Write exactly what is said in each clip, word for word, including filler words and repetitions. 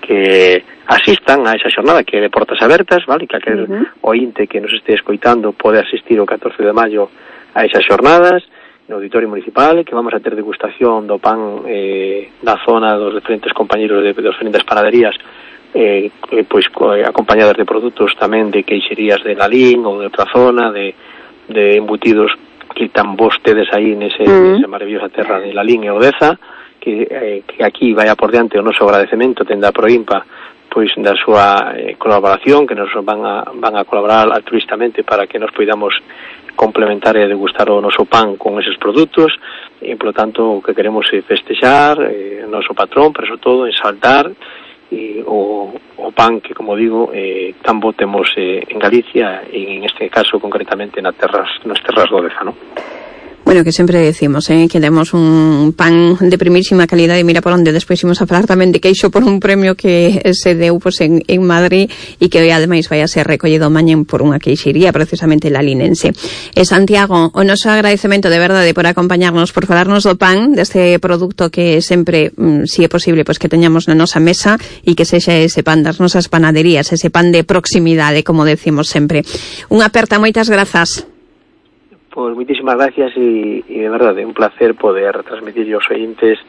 que asistan a esa xornada que é de portas abertas, vale? Que aquel uh-huh. ointe que nos este escoitando pode asistir o catorce de maio a esas xornadas no Auditorio Municipal, que vamos a ter degustación do pan eh, na zona dos diferentes compañeros de, de diferentes panaderías, eh, pois eh, acompañadas de produtos tamén de queixerías de Lalín ou de outra zona, de, de embutidos que tan vostedes aí nese, uh-huh. nese maravillosa terra de Lalín e Odeza, que, eh, que aquí vai a por diante o noso agradecemento tenda a Proimpa pois da súa eh, colaboración, que nos van a, van a colaborar altruistamente para que nos poidamos complementar e degustar o noso pan con eses produtos, e, polo tanto, o que queremos é festexar eh, o noso patrón, pero sobre todo exaltar e, o, o pan que, como digo, eh, tan bo temos eh, en Galicia, e en este caso concretamente nas terras, nas terras do Odeza, non? Bueno, que sempre decimos, eh, que demos un pan de primísima calidad, e mira por onde despois imos a falar tamén de queixo por un premio que se deu pues, en, en Madrid, e que ademais vai a ser recollido mañen por unha queixería precisamente lalinense. E Santiago, o noso agradecemento de verdade por acompañarnos, por falarnos do pan, deste produto que sempre, mm, si é posible, pues, que teñamos na nosa mesa, e que sexa ese pan das nosas panaderías, ese pan de proximidade, como decimos sempre. Unha aperta, moitas grazas. Pois muitísimas gracias e, e de verdade, un placer poder transmitir aos ointes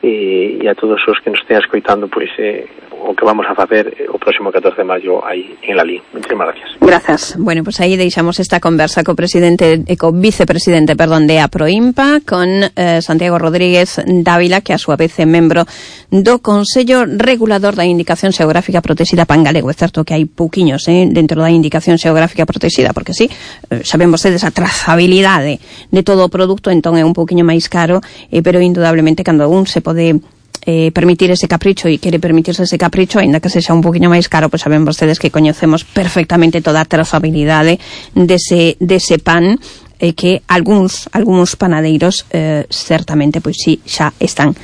e, e a todos os que nos estén escoitando pois eh, o que vamos a facer o próximo catorce de maio aí en Lalín. Muchísimas gracias. Grazas. Bueno, pois pues aí deixamos esta conversa co presidente e co vicepresidente, perdón, de APROIMPA, con eh, Santiago Rodríguez Dávila, que a súa vez é membro do Consello Regulador da Indicación Xeográfica Protexida Pan Galego. É certo que hai pouquiños eh, dentro da Indicación Xeográfica Protexida, porque sí, eh, saben vostedes a trazabilidade de todo o produto, entón é un pouquiño máis caro, eh, pero indudablemente cando un se pode eh, permitir ese capricho e quere permitirse ese capricho, aínda que sexa un poquinho máis caro, pois saben vostedes que coñecemos perfectamente toda a trazabilidade dese, dese pan, e eh, que algúns, algúns panadeiros eh, certamente pois sí xa están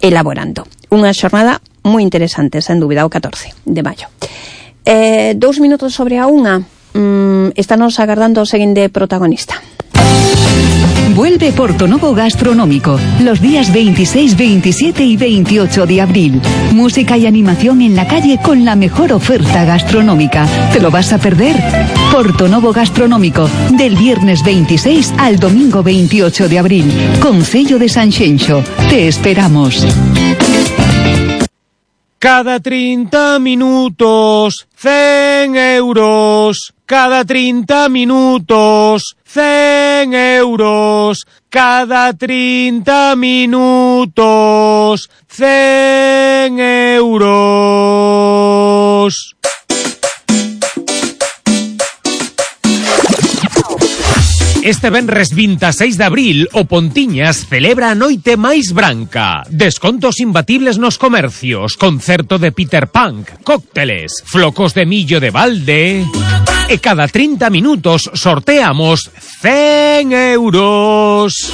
elaborando. Unha xornada moi interesante, sen dúbida, o catorce de maio. Eh, dous minutos sobre a unha. Mm, estános agardando o seguinte protagonista. Vuelve Portonovo Gastronómico los días veintiséis, veintisiete y veintiocho de abril. Música y animación en la calle con la mejor oferta gastronómica. ¿Te lo vas a perder? Portonovo Gastronómico, del viernes veintiséis al domingo veintiocho de abril. Concello de Sanxenxo. Te esperamos. Cada trinta minutos, cen euros. Cada trinta minutos, cen euros. Cada trinta minutos, cen euros. Este venres veintiséis de abril o Pontiñas celebra a noite máis branca. Descontos imbatibles nos comercios, concerto de Peter Punk, cócteles, flocos de millo de balde. E cada trinta minutos sorteamos cen euros.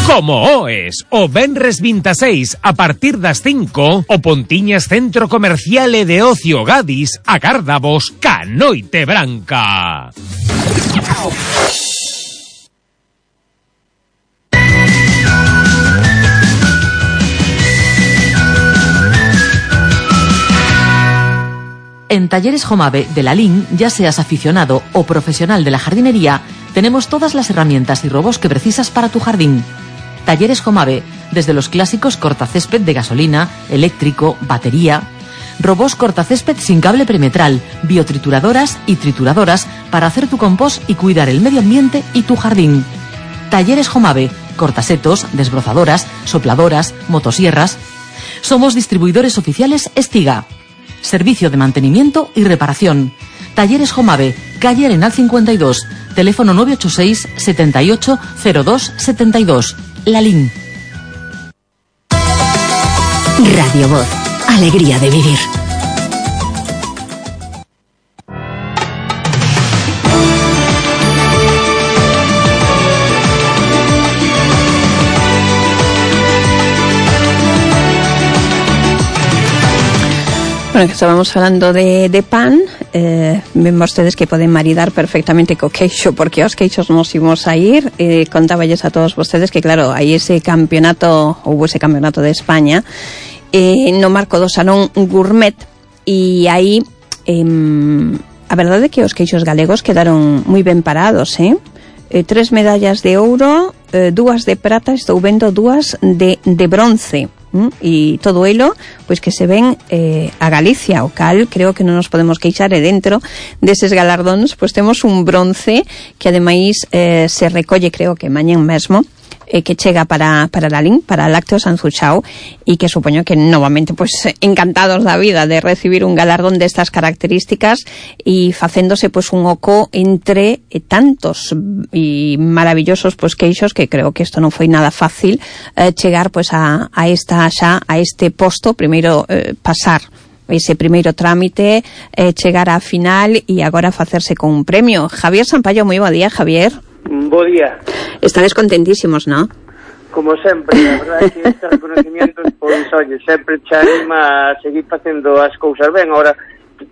Como oes, o venres veintiséis a partir das cinco, o Pontiñas Centro Comercial e de Ocio Gadis agárdavos ca noite branca. En Talleres Jomave de Lalín, ya seas aficionado o profesional de la jardinería, tenemos todas las herramientas y robos que precisas para tu jardín. Talleres Jomave, desde los clásicos cortacésped de gasolina, eléctrico, batería, robos cortacésped sin cable perimetral, biotrituradoras y trituradoras para hacer tu compost y cuidar el medio ambiente y tu jardín. Talleres Jomave, cortasetos, desbrozadoras, sopladoras, motosierras. Somos distribuidores oficiales Estiga. Servicio de mantenimiento y reparación. Talleres Jomave, calle Arenal cincuenta y dos, teléfono nueve ocho seis, setenta y ocho, cero dos, setenta y dos. Lalín. Radio Voz, alegría de vivir. Bueno, que estábamos falando de, de pan, eh, ven vostedes que poden maridar perfectamente co queixo, porque aos queixos nos imos a ir. Eh, contáballes a todos vostedes que, claro, hai ese campeonato, ou ese campeonato de España, eh, no marco do Salón Gourmet, e aí eh, a verdade é que os queixos galegos quedaron moi ben parados, eh? eh tres medallas de ouro, eh, dúas de prata, estou vendo dúas de, de bronce. ¿Mm? E todo elo, pois que se ven eh, a Galicia, o cal creo que non nos podemos queixar, e dentro deses galardóns pois temos un bronce que ademais eh, se recolle, creo que mañán mesmo, eh, que chega para, para la L I N, para Lácteos Anzuchao, e que supoño que novamente pois encantados da vida de recibir un galardón destas características e facéndose pois un oco entre eh, tantos e maravillosos pois queixos, que creo que isto non foi nada fácil eh, chegar pois a, a esta xa a este posto, primeiro eh, pasar ese primeiro trámite, eh, chegar á final e agora facerse con un premio. Javier Sampaio, moi bo día, Javier. Bo día. Estades contentísimos, ¿no? Como sempre, a verdade é que este reconocimiento, pois, oye, sempre te anima a seguir facendo as cousas ben. Ahora,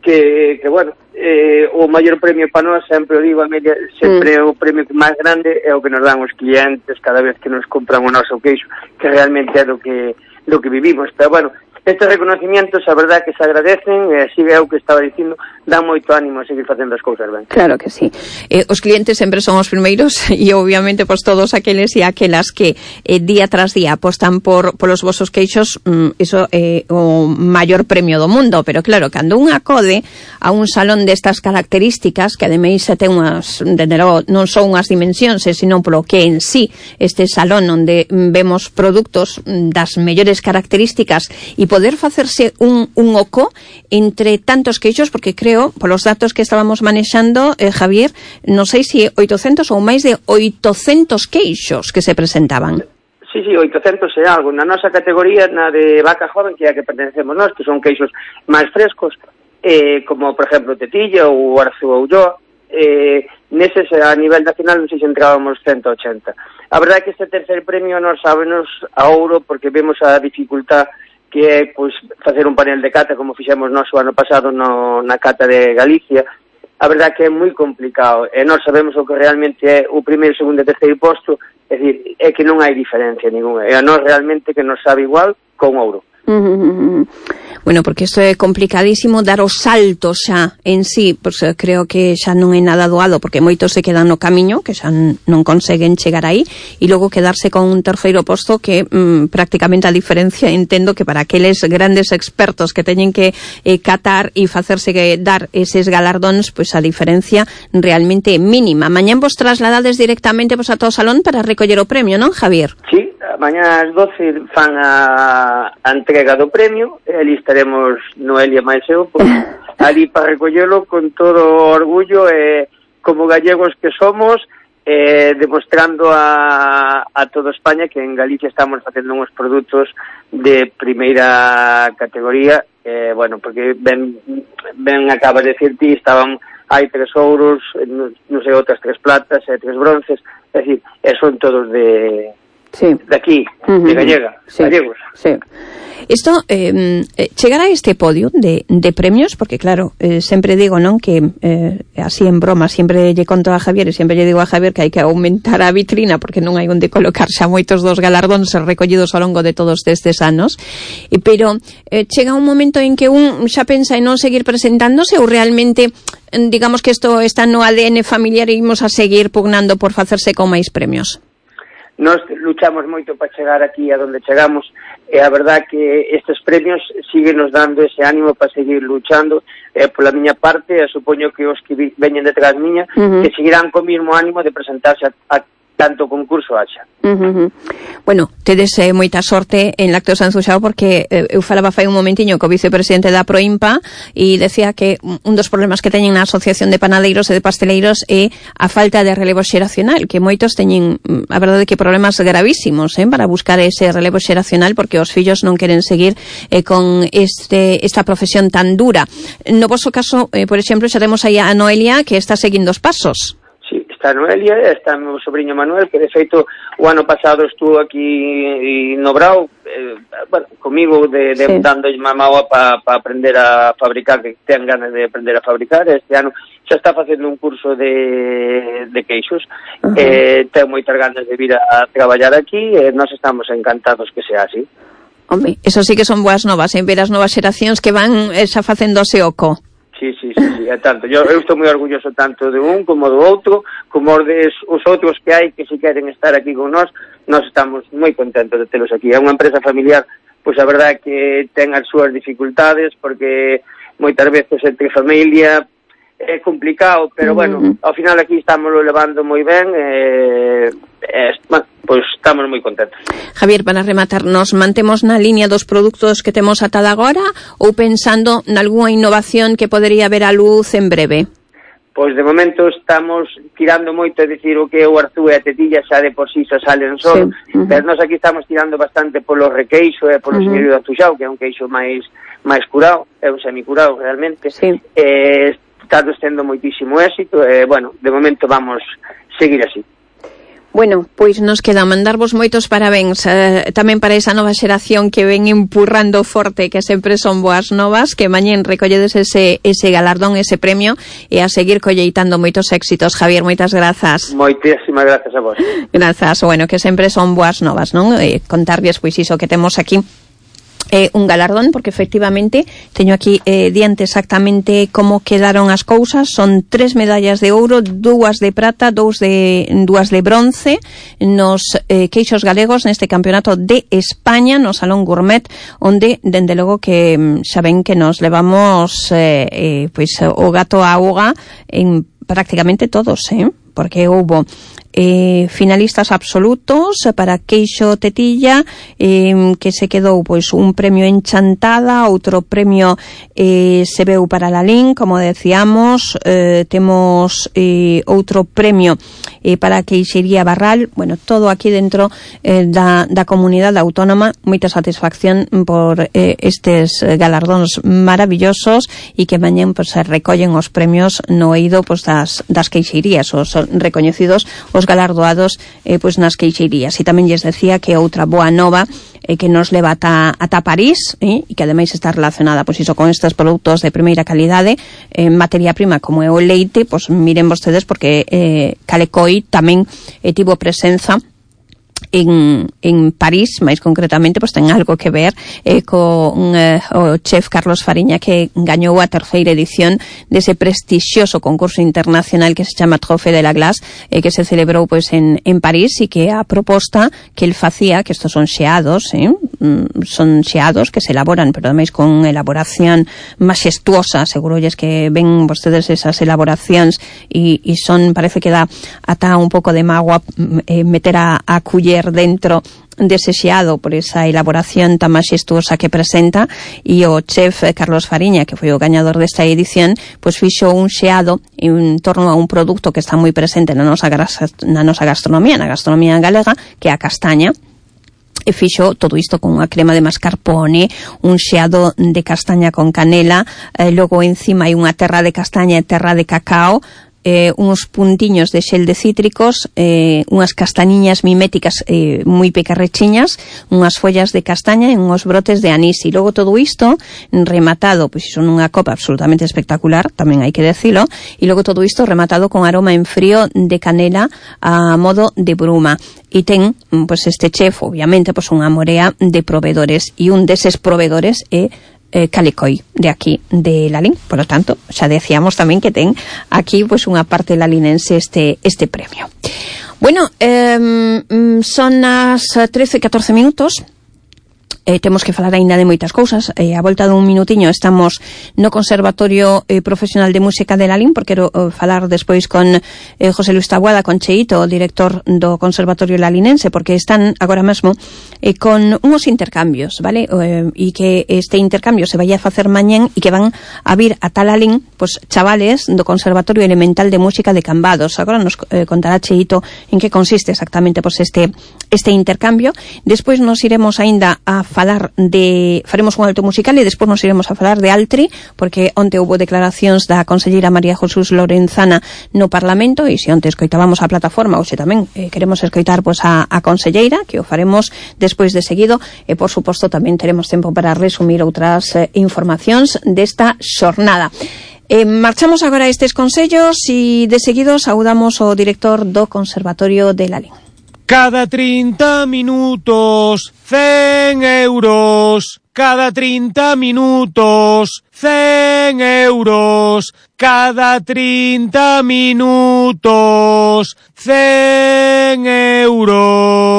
que, que bueno, eh, o maior premio para nós, sempre o digo, Amelia, sempre mm. o premio máis grande é o que nos dan os clientes cada vez que nos compran o noso queixo, que realmente é do que, do que vivimos. Pero, bueno, estes reconocimientos, a verdade que se agradecen, e así é o que estaba dicindo, dá moito ánimo a seguir facendo as cousas ben. Claro que sí. Eh, os clientes sempre son os primeiros e obviamente pois todos aqueles e aquelas que eh, día tras día apostan por polos vosos queixos, mm, iso é eh, o maior premio do mundo, pero claro, cando un acode a un salón destas características, que ademais se ten unhas, logo, non son unhas dimensións, sino polo que en sí este salón onde vemos produtos das mellores características e poder facerse un, un oco entre tantos queixos, porque creo, polos datos que estábamos manexando, eh, Javier, non sei se oitocentos ou máis de oitocentos queixos que se presentaban. Sí, sí, oitocentos e algo. Na nosa categoría, na de vaca joven, que é a que pertencemos nós, que son queixos máis frescos, eh, como, por exemplo, Tetilla ou Arzu ou Ulloa, eh, neses, a nivel nacional, non sei se entrábamos ciento ochenta. A verdade é que este terceiro premio nos sábenos a ouro, porque vemos a dificultad que é pois, facer un panel de cata como fixemos nós o ano pasado no, na cata de Galicia. A verdade que é moi complicado, e nós sabemos o que realmente é o primeiro, segundo e terceiro posto, é dicir, é que non hai diferencia ninguna, e a nós realmente que nos sabe igual con ouro. Uh-huh. Bueno, porque isto é complicadísimo dar o salto xa en sí, pois creo que xa non é nada doado, porque moitos se quedan no camiño, que xa non conseguen chegar aí, e logo quedarse con un terceiro posto que mm, prácticamente a diferencia, entendo que para aqueles grandes expertos que teñen que eh, catar e facerse que dar eses galardóns, pois a diferencia realmente é mínima. Mañán vos trasladades directamente pois a todo o salón para recoller o premio, non, Javier? Sí, mañá ás doce fan a, a entrega do premio, e ali estaremos Noelia máis eu, pues, ali para recollelo con todo o orgullo, e como gallegos que somos, eh, demostrando a, a toda España que en Galicia estamos facendo uns produtos de primeira categoría, eh, bueno, porque ben, ben acaba de decir ti, estaban hai tres ouros, non no sei, outras tres platas e tres bronces, é dicir, e son todos de... Sí. De aquí, uh-huh. de Gallega, sí. Gallegos. Sí. Isto, eh, chegar a este podio de, de premios, porque claro, eh, sempre digo, non, que eh, así en broma, sempre lle conto a Javier e sempre lle digo a Javier que hai que aumentar a vitrina porque non hai onde colocar xa moitos dos galardóns recollidos ao longo de todos destes anos, e, pero eh, chega un momento en que un xa pensa en non seguir presentándose, ou realmente digamos que isto está no A D N familiar e imos a seguir pugnando por facerse con máis premios? Nós luchamos moito para chegar aquí a donde chegamos, e a verdad que estes premios siguen nos dando ese ánimo para seguir luchando, e pola miña parte, e supoño que os que veñen detrás miña, uh-huh. que seguirán co mismo ánimo de presentarse a, a tanto concurso haxa. Uh-huh. Bueno, tedes eh, moita sorte en Lácteos Anzuchao, porque eh, eu falaba fai un momentiño co vicepresidente da Proimpa e decía que un dos problemas que teñen na Asociación de Panadeiros e de Pasteleiros é a falta de relevo xeracional, que moitos teñen, a verdade, que problemas gravísimos eh, para buscar ese relevo xeracional, porque os fillos non queren seguir eh, con este esta profesión tan dura. No vosso caso, eh, por exemplo, xa temos aí a Noelia que está seguindo os pasos. Está Noelia, está meu sobrinho Manuel, que de feito o ano pasado estuvo aquí no Brao, eh, bueno, comigo de, de sí. dando mamá para pa aprender a fabricar, que ten ganas de aprender a fabricar. Este ano xa está facendo un curso de, de queixos, uh-huh. eh, ten moitas ganas de vir a, a traballar aquí, e nós estamos encantados que sea así. Home, eso sí que son boas novas, en ver as novas xeracións que van eh, xa facéndose oco. Sí, sí, sí, sí, é tanto. Yo, eu estou moi orgulloso tanto de un como do outro, como des, os outros que hai que si queren estar aquí con nós. Nós estamos moi contentos de telos aquí. É unha empresa familiar, pois a verdade que ten as súas dificultades, porque moitas veces entre familia é complicado, pero bueno, mm. ao final aquí estamos levando moi ben, e, e bueno, pois estamos moi contentos. Javier, para rematar, nos mantemos na línea dos produtos que temos ata agora ou pensando nalgúa innovación que podería ver a luz en breve? Pois de momento estamos tirando moito, é dicir, o que é o arzú e a tetilla xa de por si xa salen só, sí. uh-huh. Pero nós aquí estamos tirando bastante polo requeixo e polo uh-huh. señorío de Atuxao, que é un queixo máis máis curado, é un semicurado realmente. Sí. Eh, está tendo moitísimo éxito e, bueno, de momento vamos seguir así. Bueno, pois nos queda mandarvos moitos parabéns eh, tamén para esa nova xeración que ven empurrando forte, que sempre son boas novas, que mañén recolledes ese, ese galardón, ese premio, e a seguir colleitando moitos éxitos. Javier, moitas grazas. Moitísimas grazas a vos. Grazas, bueno, que sempre son boas novas, non? Eh, contarlles pois iso que temos aquí. Eh, un galardón, porque efectivamente teño aquí eh, diante exactamente como quedaron as cousas. Son tres medallas de ouro, dúas de prata, dous de, dúas de bronce nos eh, queixos galegos neste campeonato de España no Salón Gourmet, onde, dende logo que xa ven que nos levamos eh, eh, pois o gato a auga en prácticamente todos, eh? Porque houbo Eh, finalistas absolutos para queixo tetilla, eh, que se quedou pois un premio en Chantada, outro premio eh, se veu para Lalín, como decíamos, eh, temos eh, outro premio eh, para queixería Barral. Bueno, todo aquí dentro eh, da, da comunidade autónoma. Moita satisfacción por eh, estes galardóns maravillosos, e que mañén pois, se recollen os premios no eido pois, das, das queixerías, os recoñecidos, os galardoados eh, pois nas queixerías. E tamén lles decía que outra boa nova eh, que nos leva ata, ata París, eh, e que ademais está relacionada pois iso con estes produtos de primeira calidade, en eh, materia prima como é o leite, pois miren vostedes, porque eh, Calecoi tamén eh, tivo presenza en, en París, máis concretamente, pois ten algo que ver eh, con eh, o chef Carlos Fariña, que gañou a terceira edición dese prestixioso concurso internacional que se chama Trophée de la Glace, eh, que se celebrou pois en, en París, e que a proposta que el facía, que estos son xeados, eh, son xeados que se elaboran, pero ademais con elaboración maxestuosa, segurolles que ven vostedes esas elaboracións, e, e son, parece que dá ata un pouco de magua eh, meter a, a culler dentro dese xeado por esa elaboración tan maxestuosa que presenta. E o chef Carlos Fariña, que foi o gañador desta edición, pois fixo un xeado en torno a un produto que está moi presente na nosa, na nosa gastronomía, na gastronomía galega, que é a castaña. E fixo todo isto con unha crema de mascarpone, un xeado de castaña con canela, eh, logo encima hai unha terra de castaña e terra de cacao, eh, uns puntiños de xel de cítricos, eh, unhas castañiñas miméticas eh, moi pecarrechiñas, unhas follas de castaña e uns brotes de anís. E logo todo isto rematado, pois iso nunha copa absolutamente espectacular, tamén hai que decilo, e logo todo isto rematado con aroma en frío de canela a modo de bruma. E ten, pois este chef, obviamente, pois unha morea de proveedores, e un deses proveedores é Eh, Calecoi, de aquí, de Lalín. Por lo tanto, xa decíamos tamén que ten aquí pues unha parte lalinense este este premio. Bueno, eh, son as trece e catorce minutos. Eh, temos que falar aínda de moitas cousas. Eh, a volta dun minutiño estamos no Conservatorio eh, Profesional de Música de Lalín, porque quero eh, falar despois con eh, José Luis Taboada, con Cheito, o director do Conservatorio Lalinense, porque están agora mesmo eh, con unhos intercambios, vale? Eh, e que este intercambio se vai a facer mañén, e que van a vir a Lalín pues, chavales do Conservatorio Elemental de Música de Cambados. Agora nos eh, contará Cheito en que consiste exactamente pues, este, este intercambio. Despois nos iremos aínda a falar de, faremos un alto musical, e despois nos iremos a falar de Altri, porque onte houve declaracións da conselleira María Jesús Lorenzana no Parlamento, e se onte escoitábamos a plataforma, ou se tamén eh, queremos escoitar pois, a, a conselleira, que o faremos despois de seguido, e por suposto tamén teremos tempo para resumir outras eh, informacións desta xornada. Eh, marchamos agora a estes consellos, e de seguido saudamos o director do Conservatorio de Lalín. Cada trinta minutos, cen euros. Cada trinta minutos, cen euros. Cada trinta minutos, cen euros.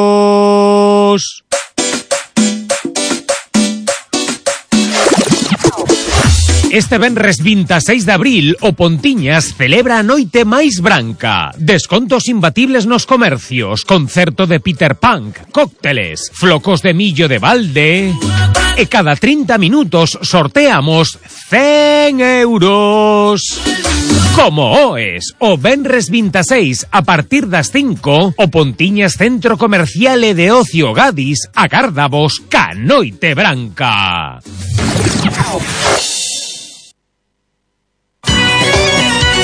Este venres veintiséis de abril, o Pontiñas celebra a noite máis branca. Descontos imbatibles nos comercios, concerto de Peter Punk, cócteles, flocos de millo de balde... E cada trinta minutos sorteamos cen euros. Como oes, o venres veintiséis a partir das cinco, o Pontiñas Centro Comercial e de Ocio Gadis agárdavos ca noite branca.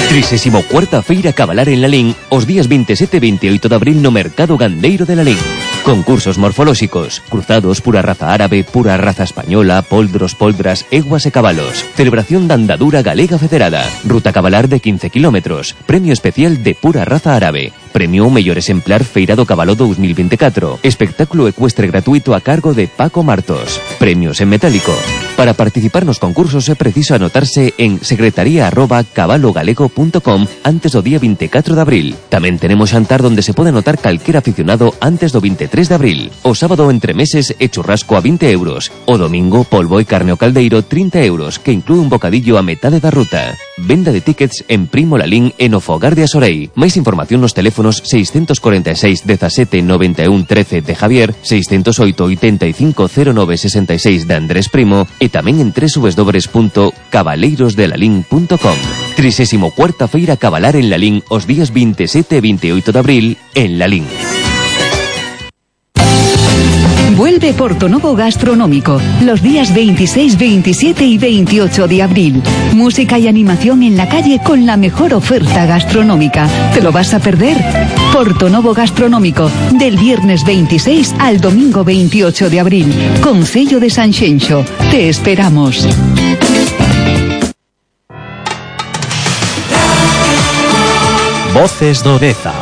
trisésimo cuarta Feira Cabalar en Lalín os días veintisiete e veintiocho de abril no Mercado Gandeiro de Lalín. Concursos morfolóxicos, cruzados, pura raza árabe, pura raza española, poldros, poldras, eguas e cabalos. Celebración da andadura galega federada. Ruta cabalar de quince kilómetros. Premio especial de pura raza árabe. Premio ao mellor exemplar Feira do Cabalo dos mil veinticuatro. Espectáculo ecuestre gratuito a cargo de Paco Martos. Premios en metálico. Para participar nos concursos é preciso anotarse en secretaría arroba cabalogalego punto com antes do día veinticuatro de abril. Tamén tenemos xantar donde se pode anotar calquer aficionado antes do veintitrés de abril. O sábado entre meses e churrasco a vinte euros. O domingo polvo e carne ao caldeiro trinta euros, que inclúe un bocadillo a metade da ruta. Venda de tickets en Primo Lalín e no Fogar de Asorei. Máis información nos teléfonos seiscentos cuarenta e seis dezasete noventa e un trece de Javier, seiscentos oito oitenta e cinco cero nove sesenta e seis de Andrés Primo e tamén en doble u doble u doble u punto cabaleirosdelalín punto com. trisésimo cuarta Feira Cabalar en Lalín os días veintisiete e veintiocho de abril en Lalín. Vuelve Portonovo Gastronómico los días veintiséis, veintisiete y veintiocho de abril. Música y animación en la calle con la mejor oferta gastronómica. ¿Te lo vas a perder? Portonovo Gastronómico, del viernes veintiséis al domingo veintiocho de abril. Concello de Sanxenxo. Te esperamos. Voces do Deza.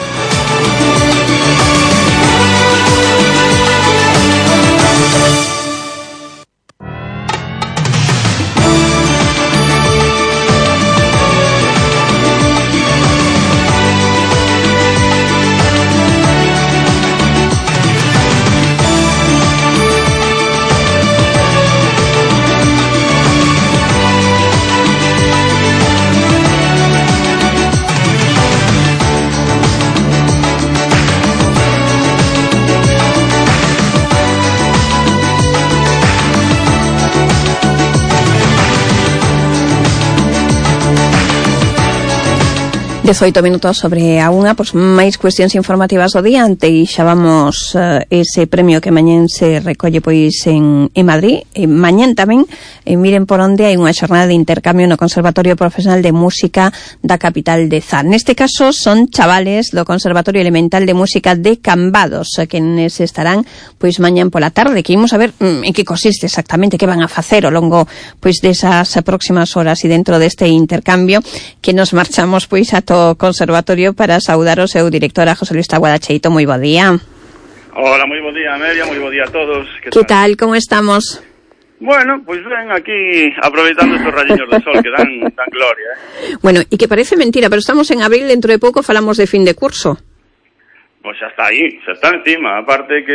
dezoito minutos sobre a unha, pois máis cuestións informativas do día. Ante e xa vamos uh, ese premio que mañén se recolle pois en, en Madrid, e mañén tamén, e miren por onde hai unha xornada de intercambio no Conservatorio Profesional de Música da capital de Zan. Neste caso son chavales do Conservatorio Elemental de Música de Cambados, que nes estarán pois mañán pola tarde, que imos a ver mm, en que consiste exactamente, que van a facer ao longo pois desas próximas horas e dentro deste intercambio, que nos marchamos pois a to Conservatorio para saudar o seu director, a José Luis Taboada Cheito. Moi bo día. Hola, moi bo día, Amelia, moi bo día a todos. Que tal? tal? Como estamos? Bueno, pois pues ven aquí aproveitando estos rayiños de sol que dan, dan gloria, eh? Bueno, e que parece mentira, pero estamos en abril, dentro de pouco falamos de fin de curso. Pois xa está aí, xa está encima. Aparte que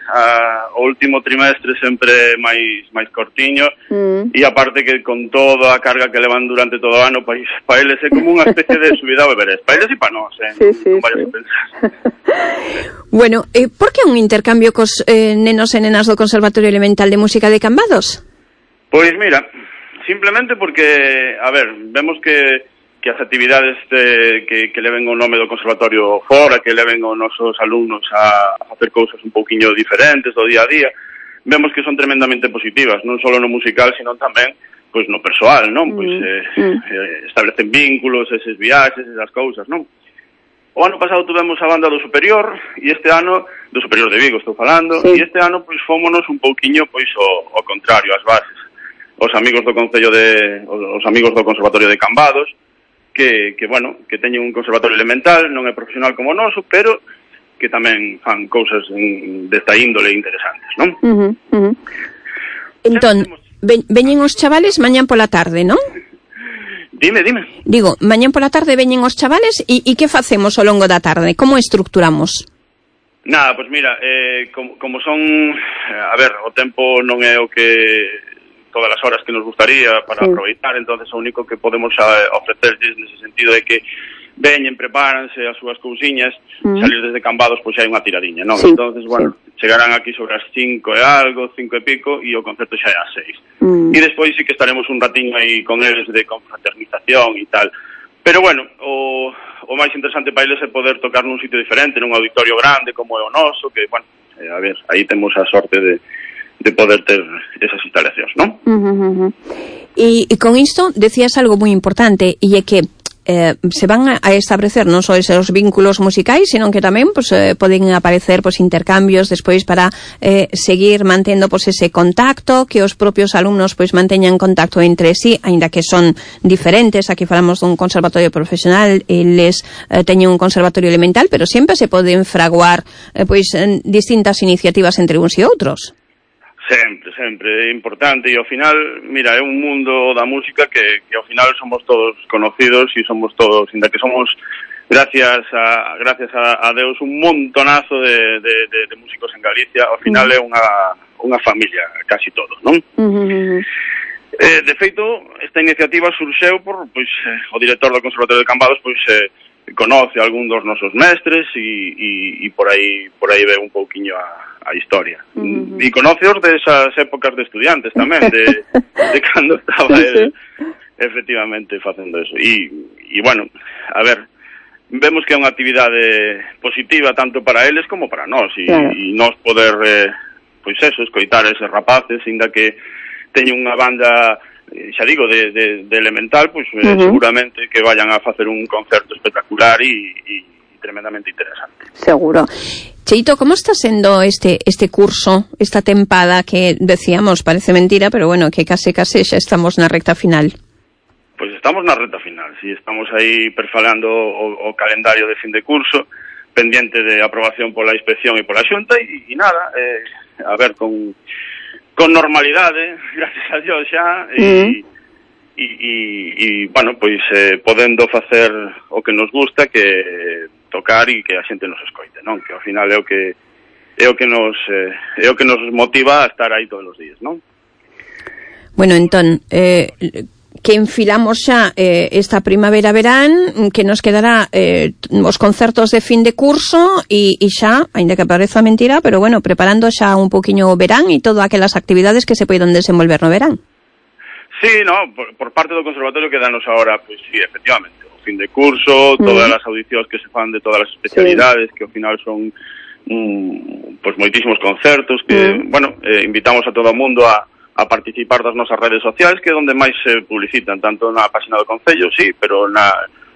a, o último trimestre sempre máis máis cortiño, mm. e aparte que con toda a carga que levan durante todo o ano, pois para eles é como unha especie de subida ao Everest. Para eles e para nós, eh? Sí, sí, non vayas sí. a pensar. Bueno, eh, por que un intercambio cos eh, nenos e nenas do Conservatorio Elemental de Música de Cambados? Pois mira, simplemente porque, a ver, vemos que que as actividades de, que, que leven o nome do conservatorio fora, que leven os nosos alumnos a, a facer cousas un pouquiño diferentes do día a día, vemos que son tremendamente positivas, non só no musical, sino tamén pois no persoal, non? Pois eh, mm. eh, establecen vínculos, eses viaxes, esas cousas, non? O ano pasado tuvemos a banda do Superior, e este ano, do Superior de Vigo estou falando, sí. e este ano pois fómonos un pouquiño pois o, o contrario, as bases. Os amigos do Concello de, os amigos do Conservatorio de Cambados, que, que bueno, que teñen un conservatorio elemental, non é profesional como o noso, pero que tamén fan cousas en, desta índole interesantes, non? Uh-huh, uh-huh. Entón, ve, veñen os chavales mañán pola tarde, non? Dime, dime. Digo, mañán pola tarde veñen os chavales e, e que facemos ao longo da tarde? Como estructuramos? Nada, pois pues mira, eh, como, como son, a ver, o tempo non é o que todas as horas que nos gustaría para sí. aproveitar, entonces o único que podemos ofrecerles nese sentido é que veñen, prepáranse as súas cousiñas, mm. salir desde Cambados pois xa hai unha tiradiña, non? Sí. Entonces, bueno, sí. chegarán aquí sobre as cinco e algo, cinco e pico, e o concerto xa é ás seis. Mm. E despois sí que estaremos un ratiño aí con eles de confraternización e tal. Pero bueno, o, o máis interesante para eles é poder tocar nun sitio diferente, nun auditorio grande como é o noso, que, bueno, eh, a ver, aí temos a sorte de de poder ter esas instalacións, non? Uh-huh, uh-huh. E, e con isto decías algo moi importante, e é que eh, se van a establecer non só esos vínculos musicais, sino que tamén pues, eh, poden aparecer pues, intercambios despois para eh, seguir mantendo pues, ese contacto, que os propios alumnos pues, manteñan contacto entre sí, aínda que son diferentes. Aquí falamos dun conservatorio profesional, eles eh, teñen un conservatorio elemental, pero sempre se poden fraguar eh, pues, distintas iniciativas entre uns e outros. Sempre, sempre, é importante, e ao final, mira, é un mundo da música que, que ao final somos todos conocidos e somos todos, ainda que somos, gracias a gracias a, a Deus, un montonazo de, de, de, de músicos en Galicia, ao final é unha, unha familia, casi todos, non? Uh-huh. Eh, de feito, esta iniciativa surxeu por, pois, eh, o director do Conservatorio de Cambados, pois, eh, conoce algún dos nosos mestres e, e, e por aí por aí ve un pouquiño a, a historia. Uh-huh. E conoceos desas épocas de estudiantes tamén, de, de cando estaba el, efectivamente facendo eso. E, e bueno, a ver, vemos que é unha actividade positiva tanto para eles como para nós, e, claro. e nós poder, eh, pois eso, escoitar eses rapaces, ainda que teñen unha banda, xa digo, de, de, de elemental, pois eh, uh-huh. seguramente que vayan a facer un concerto espectacular e, e tremendamente interesante. Seguro. Cheito, como está sendo este este curso, esta tempada que decíamos, parece mentira, pero bueno, que case case xa estamos na recta final? Pois estamos na recta final, si estamos aí perfalando o, o calendario de fin de curso, pendiente de aprobación pola inspección e pola Xunta, e, e nada, eh, a ver, con con normalidade, gracias a Dios xa, e, mm. e, e, e bueno, pois eh, podendo facer o que nos gusta, que tocar e que a xente nos escoite, non? Que ao final é o que é o que nos eh, é o que nos motiva a estar aí todos os días, non? Bueno, entón, eh, que enfilamos xa eh, esta primavera-verán, que nos quedará eh, os concertos de fin de curso e, e xa, ainda que pareza mentira, pero bueno, preparando xa un poquinho o verán e todas aquelas actividades que se poidan desenvolver no verán. Sí, no, por, por parte do Conservatorio quedanos ahora, pois pues, sí, efectivamente, o fin de curso, mm. todas as audicións que se fan de todas as especialidades, sí. que ao final son mm, pois pues, moitísimos concertos, que, mm. bueno, eh, invitamos a todo o mundo a a participar das nosas redes sociais, que é onde máis se publicitan, tanto na página do Concello, sí, pero na,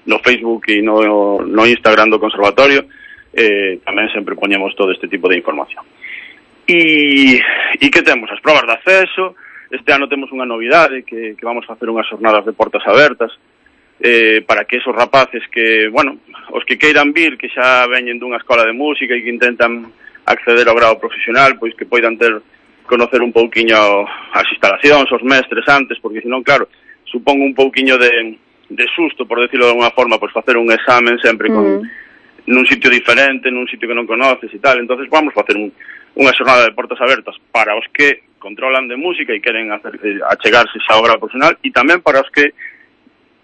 no Facebook e no, no Instagram do Conservatorio eh, tamén sempre poñemos todo este tipo de información. E, e que temos? As probas de acceso. Este ano temos unha novidade, que, que vamos a facer unhas jornadas de portas abertas, eh, para que esos rapaces que, bueno, os que queiran vir, que xa veñen dunha escola de música e que intentan acceder ao grado profesional, pois que poidan ter conocer un pouquiño as instalacións, os mestres antes, porque senón, claro, supón un pouquiño de, de susto, por decirlo de alguna forma, pois facer un examen sempre con, mm. nun sitio diferente, nun sitio que non conoces e tal. Entonces vamos a facer un, unha xornada de portas abertas para os que controlan de música e queren hacer, achegarse xa ao grado profesional, e tamén para os que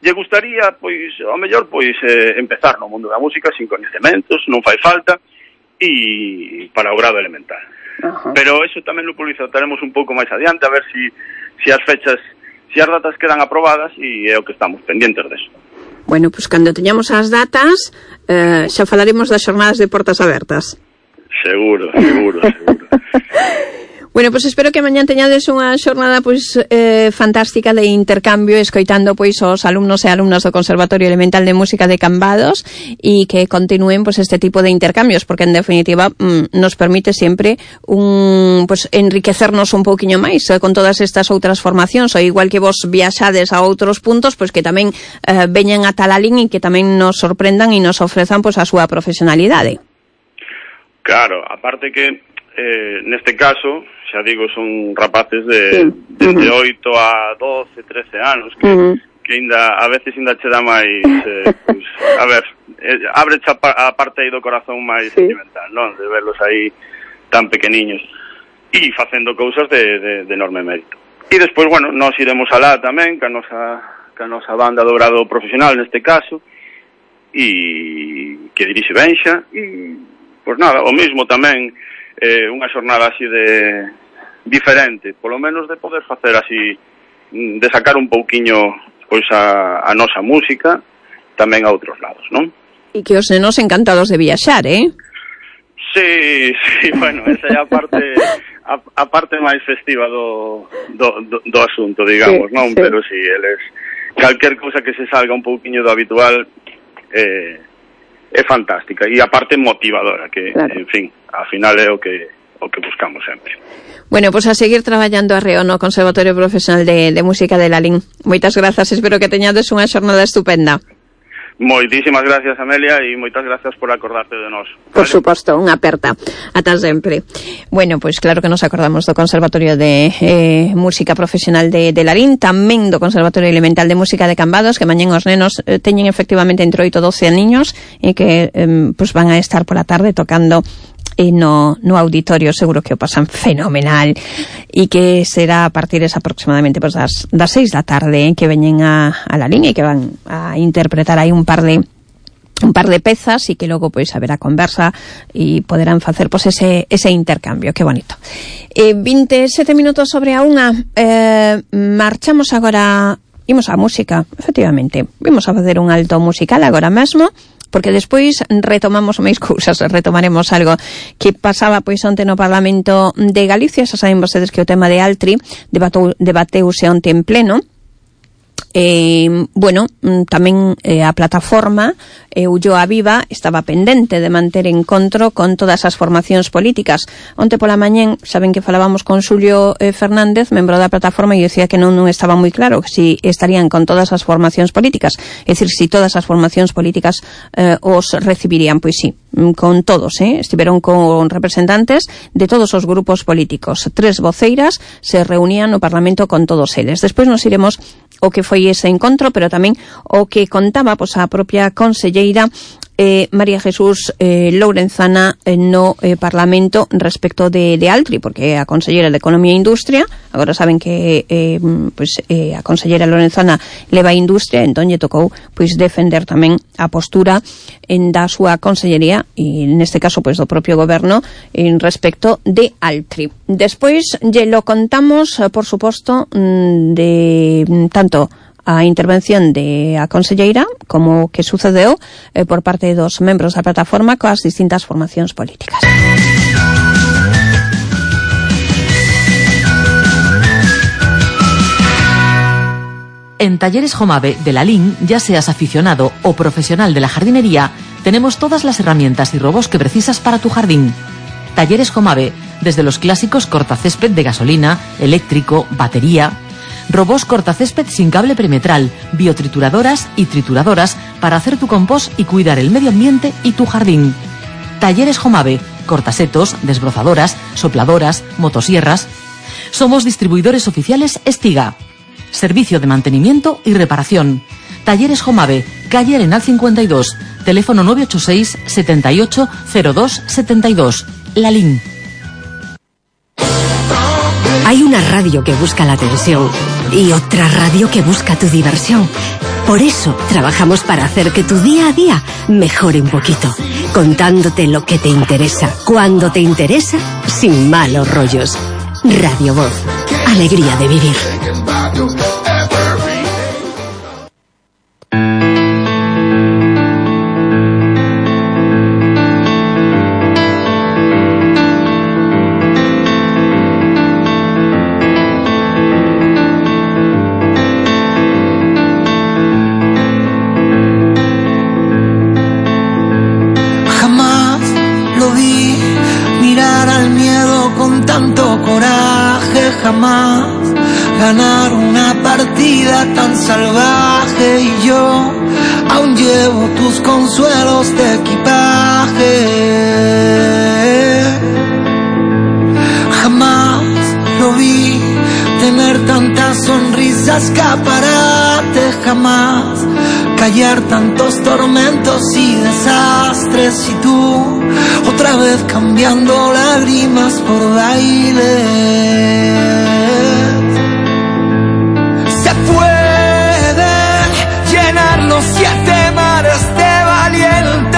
lle gustaría, pois, ao mellor, pois, eh, empezar no mundo da música sin coñecementos, non fai falta, e para o grado elemental. Uh-huh. Pero eso tamén lo publicitaremos un pouco máis adiante, a ver si, si as fechas, si as datas quedan aprobadas, e é o que estamos pendientes deso. Bueno, pois pues, cando teñamos as datas, eh, xa falaremos das xornadas de portas abertas. Seguro, seguro, seguro. Bueno, pois pues espero que mañán teñades unha xornada pois eh, fantástica de intercambio, escoitando pois os alumnos e alumnas do Conservatorio Elemental de Música de Cambados, e que continúen pois este tipo de intercambios, porque en definitiva mm, nos permite sempre un pois enriquecernos un pouquiño máis eh, con todas estas outras formacións, ou igual que vos viaxades a outros puntos, pois que tamén eh, veñan a Talalín e que tamén nos sorprendan e nos ofrezan pois a súa profesionalidade. Claro, aparte que eh, neste caso, xa digo, son rapaces de Sí. desde Uh-huh. oito a doce, trece anos, que, Uh-huh. que ainda, a veces ainda che dá máis, eh, pues, a ver, eh, abre a, pa, a parte aí do corazón máis Sí. sentimental, non? De verlos aí tan pequeniños e facendo cousas de, de, de enorme mérito. E despois, bueno, nós iremos alá tamén, ca nosa, ca nosa banda do grado profesional neste caso, e que dirixe Benxa, e, pois nada, o mismo tamén, eh, unha xornada así de diferente, polo menos de poder facer así, de sacar un pouquiño pois a, a nosa música tamén a outros lados, non? E que os nenos encantados de viaxar, eh? Sí, sí, bueno, esa é a parte a, a parte máis festiva do, do, do, do asunto, digamos, Sí, non? sí. Pero si, sí, eles calquer cousa que se salga un pouquiño do habitual eh, é fantástica e a parte motivadora, que, Claro. en fin, ao final é o que o que buscamos sempre. Bueno, pues a seguir traballando arreo no Conservatorio Profesional de, de Música de Lalín. Moitas grazas, espero que teñades unha xornada estupenda. Moitísimas gracias, Amelia, e moitas gracias por acordarte de nós. Por ¿vale? suposto, unha aperta. Ata sempre. Bueno, pois claro que nos acordamos do Conservatorio de eh, Música Profesional de, de Lalín, tamén do Conservatorio Elemental de Música de Cambados, que mañén os nenos eh, teñen efectivamente entre oito e doce aniños e que eh, pois van a estar pola tarde tocando e no, no auditorio. Seguro que o pasan fenomenal e que será a partir esa aproximadamente pues, das, das seis da tarde eh, que veñen a, a Lalín e que van a interpretar aí un par de un par de pezas e que logo pois haberá conversa e poderán facer pois ese ese intercambio. Que bonito. Eh, veintisiete minutos sobre a unha. Eh, marchamos agora, imos á música, efectivamente. Vimos a facer un alto musical agora mesmo, porque despois retomamos máis cousas, retomaremos algo que pasaba pois onte no Parlamento de Galicia. Xa saben vostedes que o tema de Altri debatou, debateuse onte en pleno. Eh, bueno, tamén eh, a plataforma eh, Ulloa Viva estaba pendente de manter encontro con todas as formacións políticas. Onte pola mañén, saben que falábamos con Xulio eh, Fernández, membro da plataforma, e dicía que non, non estaba moi claro que si estarían con todas as formacións políticas, é dicir, si todas as formacións políticas eh, os recibirían. Pois sí, con todos, eh? Estiveron con representantes de todos os grupos políticos. Tres voceiras se reunían no Parlamento con todos eles. Despois nos iremos o que foi ese encontro, pero tamén o que contaba pois, a propia conselleira eh, María Jesús eh, Lourenzana eh, no eh, Parlamento respecto de, de Altri, porque a conselleira de Economía e Industria, agora saben que eh, pois, eh, a conselleira Lourenzana leva a industria, entón lle tocou pois, defender tamén a postura en da súa consellería e neste caso pois, do propio goberno en respecto de Altri. Despois lle lo contamos, por suposto, de tanto a intervención de a conselleira como que sucedeu eh, por parte dos membros da plataforma coas distintas formacións políticas. En Talleres Jomave de Lalín, ya seas aficionado o profesional de la jardinería, tenemos todas las herramientas y robos que precisas para tu jardín. Talleres Jomave, desde los clásicos cortacésped de gasolina, eléctrico, batería, robos cortacésped sin cable perimetral, biotrituradoras y trituradoras para hacer tu compost y cuidar el medio ambiente y tu jardín. Talleres Jomave, cortasetos, desbrozadoras, sopladoras, motosierras. Somos distribuidores oficiales Estiga. Servicio de mantenimiento y reparación. Talleres Jomave, calle Arenal cincuenta y dos, teléfono nueve ocho seis, setenta y ocho, cero dos setenta y dos. Lalín. Hay una radio que busca la atención y otra radio que busca tu diversión. Por eso trabajamos para hacer que tu día a día mejore un poquito, contándote lo que te interesa, cuando te interesa, sin malos rollos. Radio Voz, alegría de vivir. Jamás ganar una partida tan salvaje y yo aún llevo tus consuelos de equipaje. escaparate jamás. Callar tantos tormentos y desastres y tú otra vez cambiando lágrimas por baile. Se pueden llenar los siete mares de valientes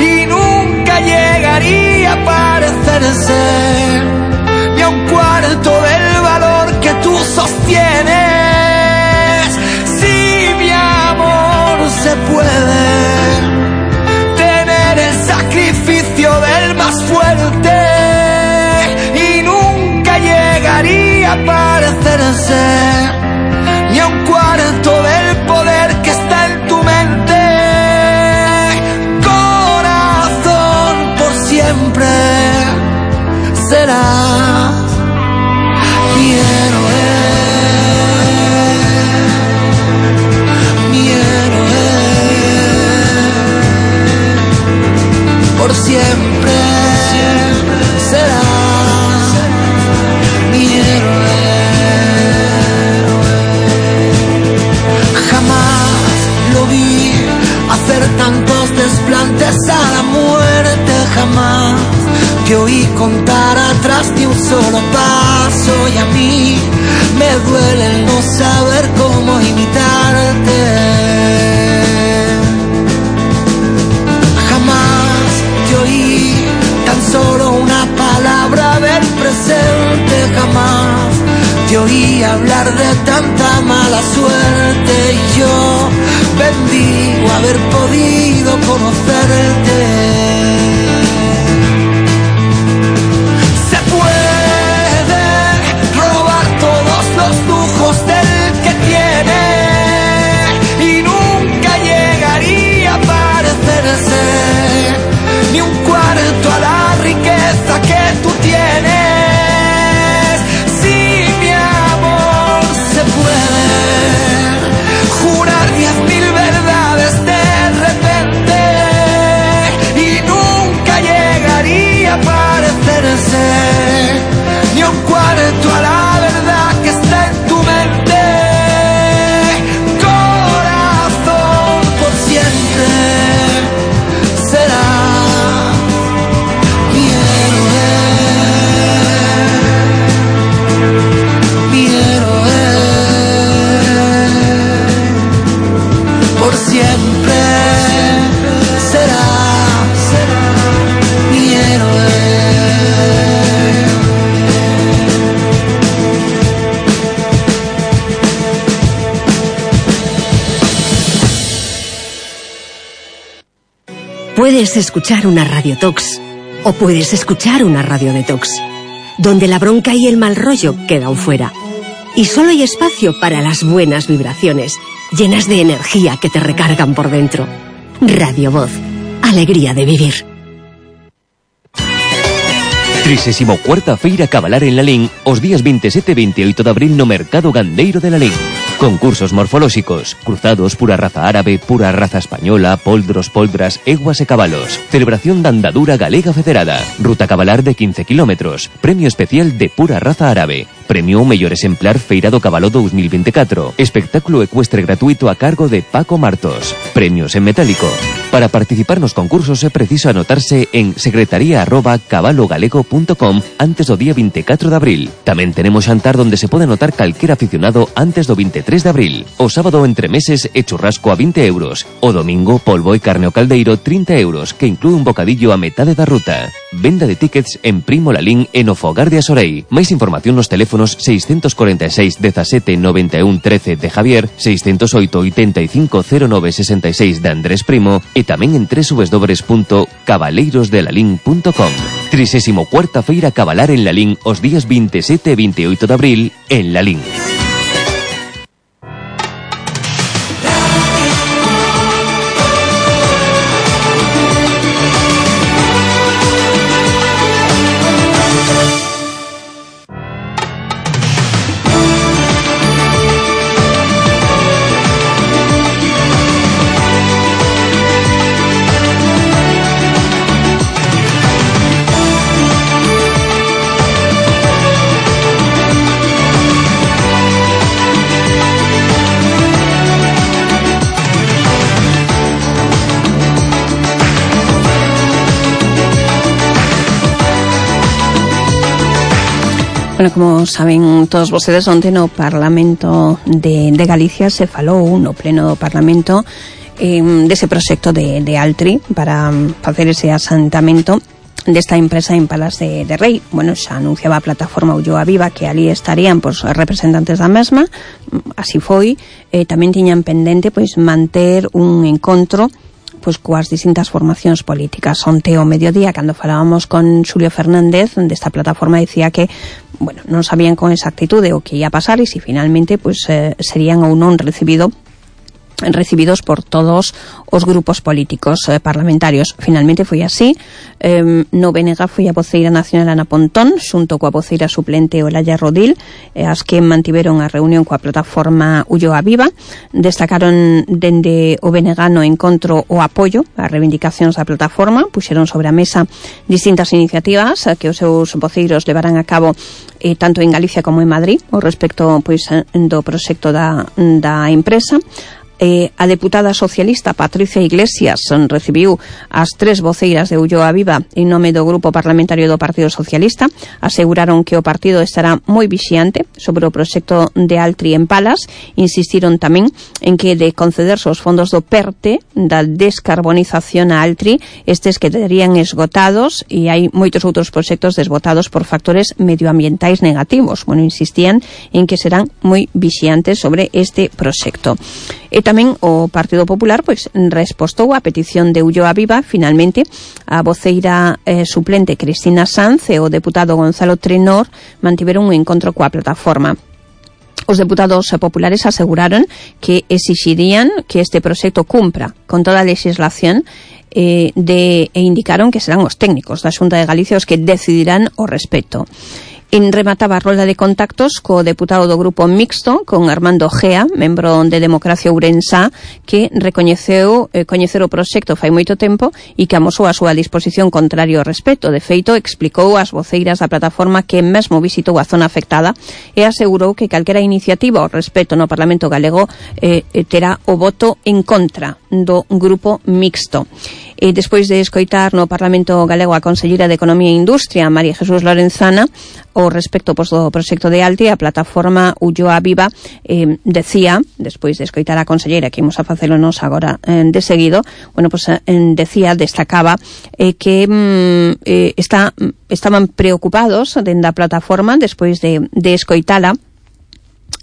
y nunca llegaría a parecerse ni a un cuarto del valor que tú sostienes. Se puede tener el sacrificio del más fuerte y nunca llegaría a parecerse ni a un cuarto del poder que está en tu mente. Corazón, por siempre serás mi héroe. Por siempre, siempre serás mi héroe. Jamás lo vi hacer tantos desplantes a la muerte. Jamás te oí contar atrás de un solo paso. Y a mí me duele el no saber cómo imitarte. Tan solo una palabra del presente. Jamás te oí hablar de tanta mala suerte. Y yo bendigo haber podido conocerte. Se puede robar todos los lujos del que tiene y nunca llegaría a parecerse ni un cuarto a la riqueza que tú tienes. Si mi amor se puede jurar diez mil verdades de repente y nunca llegaría a parecerse ni un cuarto a la verdad que está en tu mente. Corazón, por siempre será siempre será, será mi héroe. Puedes escuchar una Radio Tox o puedes escuchar una Radio Detox, donde la bronca y el mal rollo quedan fuera. Y solo hay espacio para las buenas vibraciones, llenas de energía que te recargan por dentro. Radio Voz, alegría de vivir. trisésimo cuarta Feira Cabalar en Lalín os días veintisiete e veintioito de abril no Mercado Gandeiro de Lalín. Concursos morfolóxicos, cruzados, pura raza árabe, pura raza española, poldros, poldras, eguas e cabalos. Celebración da andadura galega federada. Ruta cabalar de quince kilómetros. Premio especial de pura raza árabe. Premio mellor exemplar Feira do Cabalo dos mil veinticuatro. Espectáculo ecuestre gratuito a cargo de Paco Martos. Premios en metálico. Para participar nos concursos é preciso anotarse en secretaría arroba cabalogalego punto com antes do día veinticuatro de abril. Tamén tenemos xantar donde se pode anotar calquer aficionado antes do veintitrés de abril. O sábado entre meses e churrasco a vinte euros. O domingo polvo e carne ao caldeiro trinta euros, que inclúe un bocadillo a metade da ruta. Venda de tickets en Primo Lalín e no Fogar de Asorei. Máis información nos teléfonos seiscentos cuarenta e seis dezasete noventa e un trece de Javier, seiscentos oito oitenta e cinco cero nove sesenta e seis de Andrés Primo e tamén en doble u doble u doble u punto cabaleirosdelalín punto com. trisésimo cuarta Feira Cabalar en Lalín os días veintisiete e veintioito de abril en Lalín. Bueno, como saben todos vostedes, onte no Parlamento de, de Galicia se falou no pleno do Parlamento eh, dese proxecto de, de Altri para facer ese asentamento desta empresa en Palas de, de Rei. Bueno, xa anunciaba a plataforma Ulloa Viva que ali estarían pois, representantes da mesma, así foi. Eh, tamén tiñan pendente pois manter un encontro pois coas distintas formacións políticas. Onte ao mediodía, cando falábamos con Xulio Fernández desta plataforma, decía que bueno, non sabían con exactitude o que ia pasar e se finalmente pois eh, serían ou non recibido recibidos por todos os grupos políticos eh, parlamentarios. Finalmente foi así. Eh, no B N G foi a voceira nacional Ana Pontón xunto coa voceira suplente Olaya Rodil, eh, as que mantiveron a reunión coa plataforma Ulloa Viva. Destacaron dende o B N G no encontro o apoio ás reivindicacións da plataforma, puxeron sobre a mesa distintas iniciativas eh, que os seus voceiros levarán a cabo eh, tanto en Galicia como en Madrid o respecto pois do proxecto da, da empresa. Eh, a deputada socialista Patricia Iglesias recibiu as tres voceiras de Ulloa Viva en nome do Grupo Parlamentario do Partido Socialista. Aseguraron que o partido estará moi vixiante sobre o proxecto de Altri en Palas. Insistiron tamén en que de concederse os fondos do PERTE da descarbonización a Altri, estes quedarían esgotados e hai moitos outros proxectos desbotados por factores medioambientais negativos. Bueno, insistían en que serán moi vixiantes sobre este proxecto. E tamén o Partido Popular pois respostou a petición de Ulloa Viva. Finalmente, a voceira eh, suplente Cristina Sanz e o deputado Gonzalo Trenor mantiveron un encontro coa plataforma. Os deputados populares aseguraron que exixirían que este proxecto cumpra con toda a legislación eh, de, e indicaron que serán os técnicos da Xunta de Galicia os que decidirán o respecto. En remataba a rolda de contactos co deputado do Grupo Mixto, con Armando Gea, membro de Democracia Ourensá, que recoñeceu eh, coñecer o proxecto fai moito tempo e que amosou a súa disposición contrario ao respecto. De feito, explicou ás voceiras da plataforma que mesmo visitou a zona afectada e asegurou que calquera iniciativa ao respecto no Parlamento galego eh, terá o voto en contra do Grupo Mixto. E despois de escoitar no Parlamento galego a conselleira de Economía e Industria, María Jesús Lorenzana, o respecto pois, do proxecto de Altri, a plataforma Ulloa Viva eh, decía, despois de escoitar a conselleira, que imos a facelo nos agora eh, de seguido, bueno, pois eh, decía, destacaba eh, que mm, eh, está, estaban preocupados dentro da plataforma despois de, de escoitala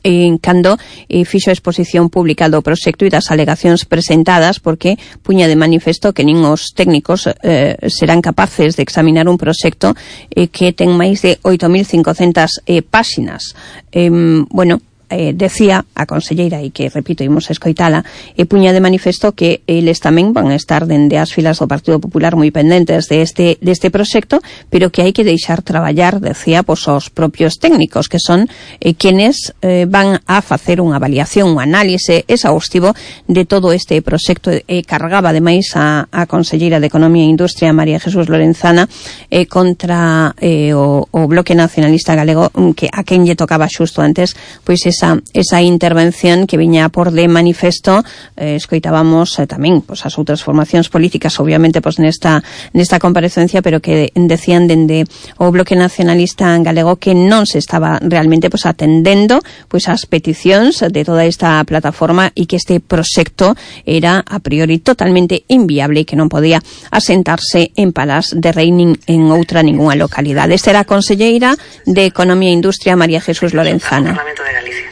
en cando eh, fixo a exposición pública do proxecto e das alegacións presentadas, porque puña de manifesto que nin os técnicos eh, serán capaces de examinar un proxecto eh, que ten máis de oito mil cincocentas eh, páxinas. Eh, bueno, eh, decía a conselleira, e que, repito, imos a escoitala, e puña de manifesto que eles tamén van a estar dende as filas do Partido Popular moi pendentes de este, de este proxecto, pero que hai que deixar traballar, decía, pois, os propios técnicos, que son eh, quenes eh, van a facer unha avaliación, un análise exhaustivo de todo este proxecto. E cargaba, ademais, a, a conselleira de Economía e Industria, María Jesús Lorenzana, eh, contra eh, o, o Bloque Nacionalista Galego, que a quen lle tocaba xusto antes, pois esa esa intervención que viña por de manifesto. Eh, escoitábamos eh, tamén pois, as outras formacións políticas, obviamente, pois, nesta, nesta comparecencia, pero que decían dende o Bloque Nacionalista Galego que non se estaba realmente pois, atendendo pois, as peticións de toda esta plataforma e que este proxecto era a priori totalmente inviable e que non podía asentarse en Palas de Rei nin en outra ninguna localidade. Esta era a conselleira de Economía e Industria, María Jesús Lorenzana. Parlamento de Galicia.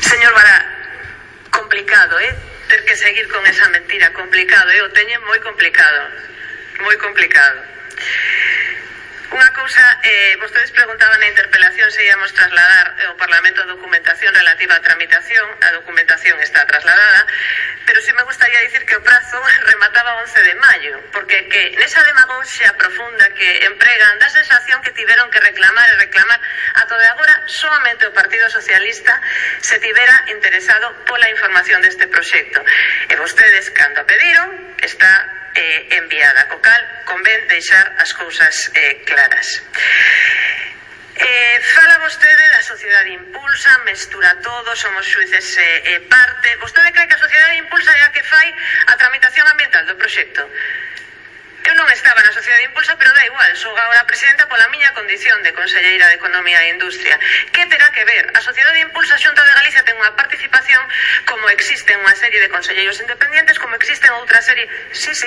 Señor Vara, complicado, eh? Ter que seguir con esa mentira, complicado, eh? O teñen moi complicado, moi complicado. Unha cousa, eh, vostedes preguntaban na interpelación se íamos trasladar ao Parlamento a documentación relativa á tramitación. A documentación está trasladada, pero sí me gustaría dicir que o prazo remataba once de maio, porque que nesa demagoxia profunda que empregan, da sensación que tiveron que reclamar e reclamar ata de agora solamente o Partido Socialista se tivera interesado pola información deste proxecto. E vostedes, cando a pediron, está eh, enviada, co cal convén deixar as cousas eh, claras. Eh, fala vostede da sociedade impulsa, mestura todo, somos xuíces eh, eh, parte. Vostede cree que a sociedade impulsa é a que fai a tramitación ambiental do proxecto? Eu Eu non estaba na Sociedade Impulsa, pero da igual, sou agora presidenta pola miña condición de conselleira de Economía e Industria. Que terá que ver? A Sociedade Impulsa Xunta de Galicia ten unha participación como existen unha serie de conselleiros independientes, como existen outra serie... Sí, sí.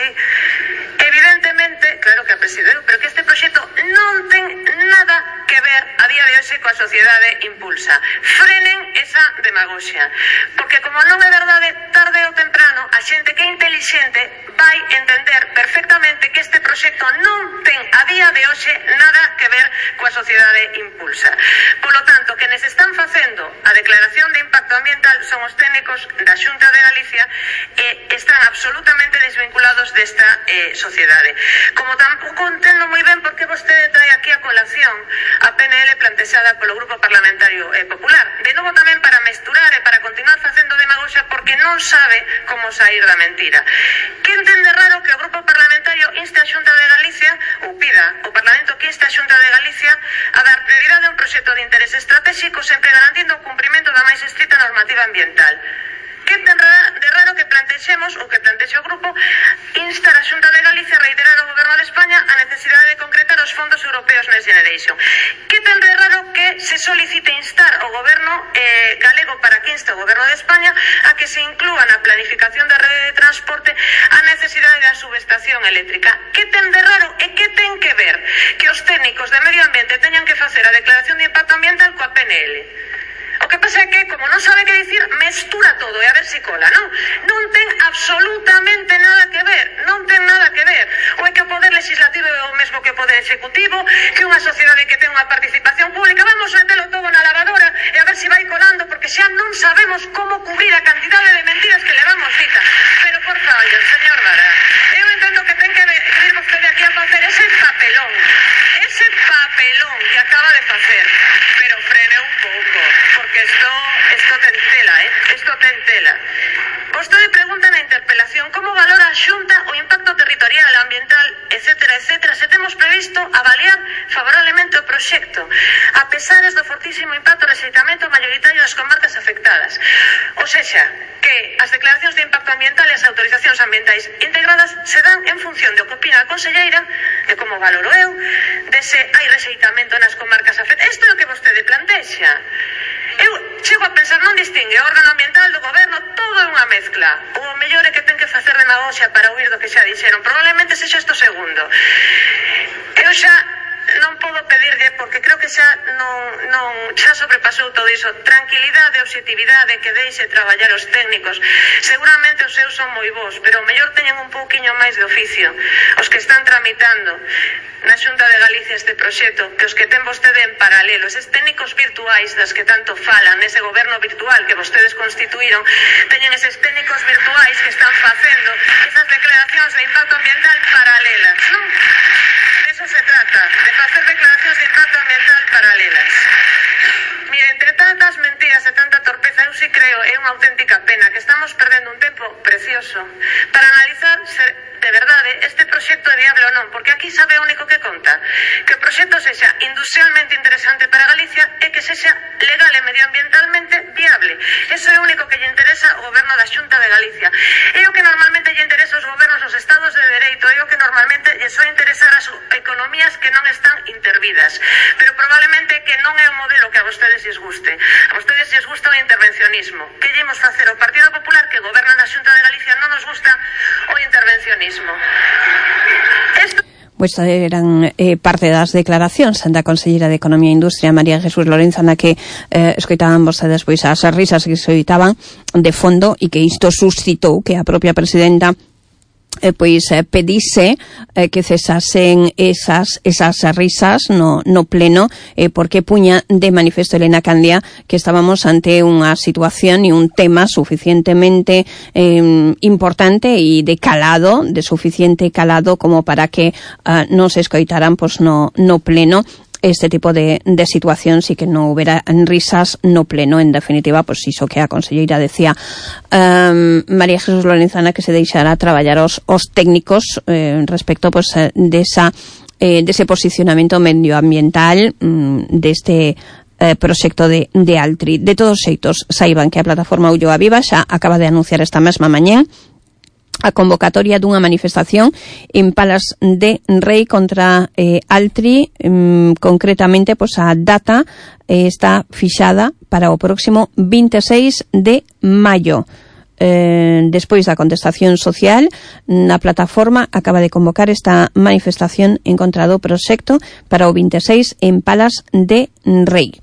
Evidentemente, claro que a presideu, pero que este proxecto non ten nada que ver a día de hoxe coa Sociedade Impulsa. Frenen esa demagoxia. Porque como non é verdade, tarde ou temprano, a xente que é intelixente vai entender perfectamente que este proxecto non ten a día de hoxe nada que ver coa Sociedade Impulsa. Por lo tanto, quenes están facendo a declaración de impacto ambiental son os técnicos da Xunta de Galicia e están absolutamente desvinculados desta eh, sociedade. Como tampouco entendo moi ben por que vostede trae aquí a colación a P N L plantexada polo Grupo Parlamentario eh, Popular. De novo tamén para mesturar e para continuar facendo demagoxia porque non sabe como sair da mentira. Que entende raro que o Grupo Parlamentario inste a Xunta de Galicia, ou pida o Parlamento que inste a Xunta de Galicia a dar prioridade a un proxecto de interés estratégico sempre garantindo o cumprimento da máis estrita normativa ambiental. Que ten de raro que plantexemos, ou que plantexe o grupo, instar a Xunta de Galicia a reiterar ao Goberno de España a necesidade de concretar os fondos europeos Next Generation. Que ten de raro que se solicite instar ao Goberno eh, galego para que inste ao Goberno de España a que se inclúa na planificación da rede de transporte a necesidade da subestación eléctrica. Que ten de raro e que ten que ver que os técnicos de medio ambiente teñan que facer a declaración de impacto ambiental coa P N L. O que pasa é que, como non sabe que dicir, mestura todo e a ver si cola, non? Non ten absolutamente nada que ver, non ten nada que ver. Ou é que o poder legislativo é o mesmo que o poder executivo, que unha sociedade que ten unha participación pública, vamos metelo todo na lavadora e a ver si vai colando, porque xa non sabemos como cubrir a cantidade de mentiras que levamos dita. Pero, por favor, señor Vara, eu entendo que ten que vir vostede aquí a facer ese papelón, ese papelón que acaba de facer, pero frene un pouco, porque esto, esto ten tela, eh? Esto ten tela. Vostede pregunta na interpelación como valora a Xunta o impacto territorial, ambiental, etcétera, etcétera, se temos previsto avaliar favorablemente o proxecto, a pesares do fortísimo impacto e rexeitamento mayoritario das comarcas afectadas. O sexa, que as declaracións de impacto ambiental e as autorizacións ambientais integradas se dan en función de o que opina a conselleira, de como valoro eu, de se hai rexeitamento nas comarcas afectadas. Isto é o que vostede plantexa. Eu chego a pensar, non distingue o órgano ambiental do goberno, todo é unha mezcla. O mellor é que ten que facer demagoxia para oír do que xa dixeron. Probablemente sexa isto segundo. Eu xa non podo pedirlle, porque creo que xa non, non xa sobrepasou todo iso, tranquilidade, objetividade, que deixe traballar os técnicos. Seguramente os seus son moi bons, pero o mellor teñen un pouquiño máis de oficio os que están tramitando na Xunta de Galicia este proxecto, que os que ten vostede en paralelo, eses técnicos virtuais das que tanto falan, ese goberno virtual que vostedes constituíron, teñen eses técnicos virtuais que están facendo esas declaracións de impacto ambiental paralelas, non? De eso se trata, de facer declaracións de impacto ambiental paralelas. Mire, entre tantas mentiras e tanta torpeza, eu si creo, é unha auténtica pena que estamos perdendo un tempo precioso para analizar se de verdade este proxecto é viable ou non, porque aquí sabe o único que conta, que o proxecto sexa industrialmente interesante para Galicia e que sexa legal e medioambientalmente viable. Eso é o único que lle interesa ao goberno da Xunta de Galicia. É o que normalmente lle interesa aos gobernos dos estados de dereito, é o que normalmente lle soe interesar as economías que non están intervidas. Pero probablemente que non é o modelo que a vostedes lles guste. A vostedes lles gusta o intervencionismo. Que lle imos facer ao Partido Popular, que goberna na Xunta de Galicia, non nos gusta o intervencionismo. Esto... Pois eran eh, parte das declaracións da conselleira de Economía e Industria, María Jesús Lorenzo, na que eh, escoitaban vostedes pois as risas que se oitaban de fondo e que isto suscitou que a propia presidenta Eh, pois eh, pedise eh, que cesasen esas esas risas no, no pleno eh, porque puña de manifesto Elena Candia que estábamos ante unha situación e un tema suficientemente eh, importante e de calado, de suficiente calado como para que eh, non se escoitaran pois, no, no pleno este tipo de, de situacións e que non houbera risas no pleno. En definitiva, pois iso que a conselleira decía, um, María Jesús Lorenzana, que se deixará traballar os, os técnicos eh, respecto pois, desa, eh, dese posicionamento medioambiental um, deste eh, proxecto de, de Altri. De todos xeitos, saiban que a plataforma Ulloa Viva xa acaba de anunciar esta mesma mañén a convocatoria dunha manifestación en Palas de Rei contra eh, Altri, um, concretamente, pois a data eh, está fixada para o próximo veintiséis de maio. Eh, despois da contestación social, na plataforma acaba de convocar esta manifestación en contra do proxecto para o veintiséis en Palas de Rei.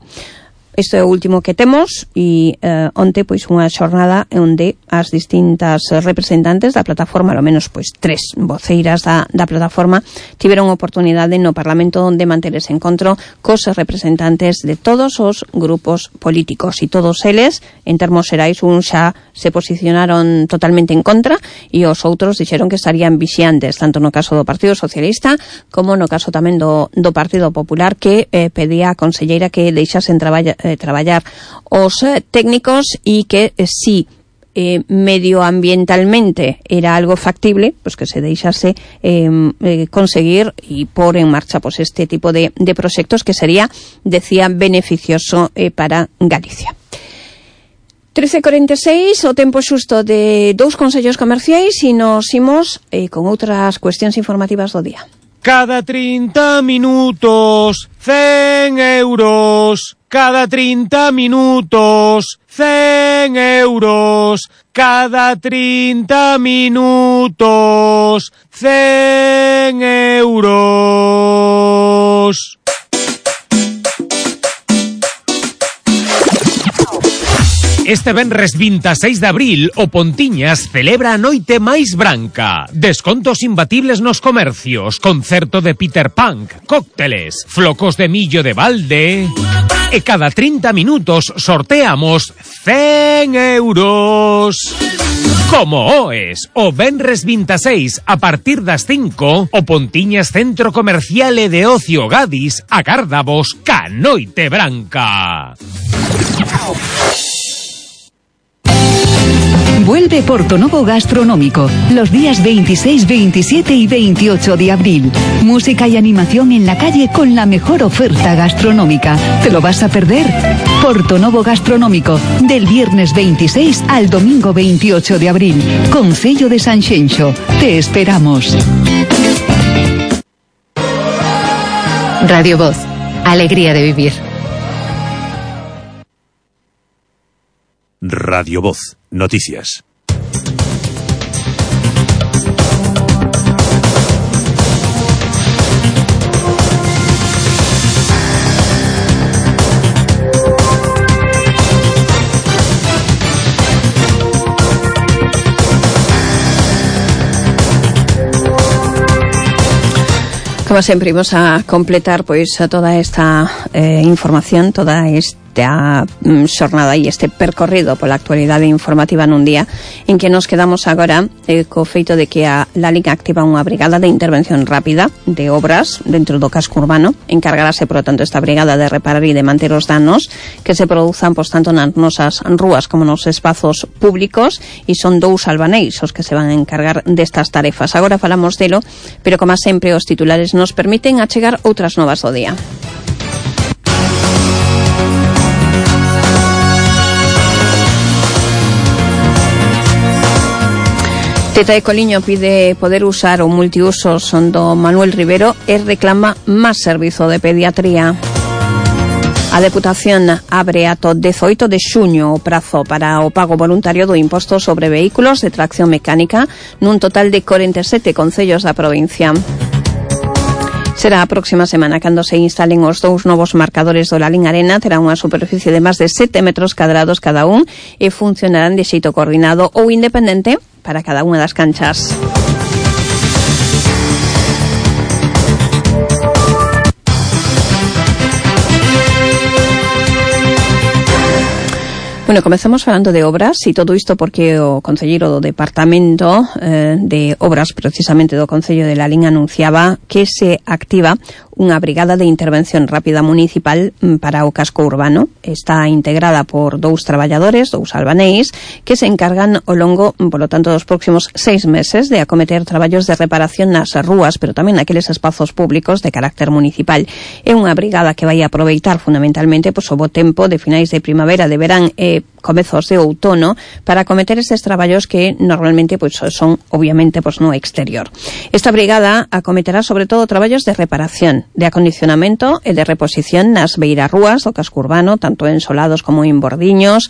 Isto é o último que temos e eh, onte pois unha xornada onde as distintas representantes da plataforma, ao menos pois tres voceiras da, da plataforma, tiveron oportunidade no Parlamento onde manter ese encontro cos representantes de todos os grupos políticos e todos eles, en termos xerais, un xa se posicionaron totalmente en contra e os outros dixeron que estarían vixiantes, tanto no caso do Partido Socialista como no caso tamén do, do Partido Popular, que eh, pedía a conselleira que deixasen traballar Eh, traballar os eh, técnicos e que eh, si eh, medioambientalmente era algo factible, pues que se deixase eh, eh, conseguir e pôr en marcha pues este tipo de, de proxectos que sería, decía, beneficioso eh, para Galicia. trece cuarenta e seis, o tempo xusto de dous consellos comerciais e nos imos eh, con outras cuestións informativas do día. Cada trinta minutos, cen euros. Cada trinta minutos, cen euros. Cada trinta minutos, cen euros. Este venres veintiséis de abril, o Pontiñas celebra a noite máis branca. Descontos imbatibles nos comercios, concerto de Peter Punk, cócteles, flocos de millo de balde. E cada trinta minutos sorteamos cen euros. Como oes, o venres veintiséis a partir das cinco, o Pontiñas Centro Comercial e de Ocio Gadis agárdavos ca noite branca. Vuelve Portonovo Gastronómico los días veintiséis, veintisiete y veintiocho de abril. Música y animación en la calle con la mejor oferta gastronómica. ¿Te lo vas a perder? Portonovo Gastronómico, del viernes veintiséis al domingo veintiocho de abril. Concello de Sanxenxo. Te esperamos. Radio Voz. Alegría de vivir. Radio Voz. Noticias. Como sempre, imos a completar pois a toda esta eh, información, toda esta xornada e este percorrido pola actualidade informativa nun día en que nos quedamos agora eh, co feito de que a LALIC activa unha brigada de intervención rápida de obras dentro do casco urbano. Encargarase, por lo tanto, esta brigada de reparar e de manter os danos que se produzan, pois, tanto nas nosas rúas como nos espazos públicos, e son dous albaneis os que se van a encargar destas tarefas. Agora falamos delo, pero como sempre os titulares nos permiten achegar outras novas do día. Teta de Coliño pide poder usar o multiusos do Manuel Rivero e reclama máis servizo de pediatría. A Deputación abre ata dezoito de xuño o prazo para o pago voluntario do imposto sobre vehículos de tracción mecánica nun total de corenta e sete concellos da provincia. Será a próxima semana cando se instalen os dous novos marcadores do Lalín Arena. Terá unha superficie de máis de sete metros cadrados cada un e funcionarán de xeito coordinado ou independente para cada unha das canchas. Bueno, comezamos falando de obras e todo isto porque o concelleiro do Departamento eh, de Obras, precisamente do Concello de Lalín, anunciaba que se activa unha brigada de intervención rápida municipal para o casco urbano. Está integrada por dous traballadores, dous albaneis, que se encargan ao longo, polo tanto, dos próximos seis meses de acometer traballos de reparación nas rúas, pero tamén naqueles espazos públicos de carácter municipal. É unha brigada que vai aproveitar fundamentalmente pois, o bo tempo de finais de primavera, de verán e comezos de outono para acometer estes traballos que normalmente pois son obviamente pois no exterior. Esta brigada acometerá sobre todo traballos de reparación, de acondicionamento e de reposición nas beirarrúas do casco urbano, tanto en solados como en bordiños,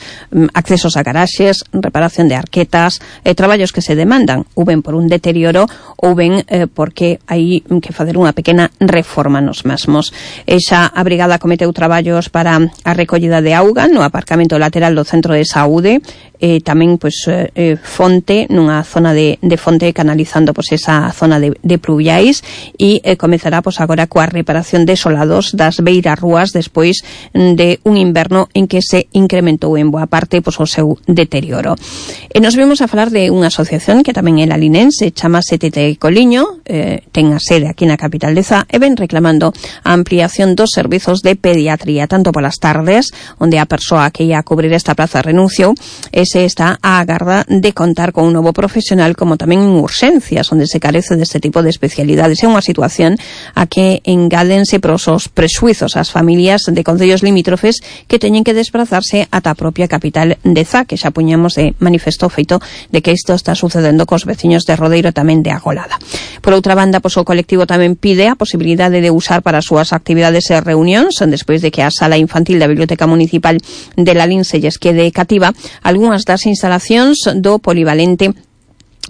accesos a garaxes, reparación de arquetas, eh, traballos que se demandan, ou ben por un deterioro ou ben eh, porque hai que facer unha pequena reforma nos mesmos. Exa a brigada cometeu traballos para a recollida de auga no aparcamento lateral do centro de saúde, e tamén pois eh, fonte nunha zona de, de fonte canalizando pois esa zona de, de pluviais, e eh, comezará pois agora coa reparación de solados das beirarrúas despois de un inverno en que se incrementou en boa parte pois o seu deterioro. E nos vimos a falar de unha asociación que tamén é la linense, chamase Tete Coliño, eh, ten a sede aquí na capital de Zá, e ven reclamando a ampliación dos servizos de pediatría, tanto polas tardes, onde a persoa que ia a cubrir esta plaza renunciou, e se está a agarda de contar con un novo profesional, como tamén en urxencias, onde se carece deste tipo de especialidades. É unha situación a que engádense pros os presuizos ás familias de concellos limítrofes que teñen que desplazarse ata a propia capital de Zá, que xa puñamos de manifesto feito de que isto está sucedendo cos veciños de Rodeiro e tamén de Agolada. Por outra banda, pois o colectivo tamén pide a posibilidade de usar para as súas actividades e reunións, despois de que a sala infantil da Biblioteca Municipal de Lalín se lles quede cativa, algunhas das instalacións do polivalente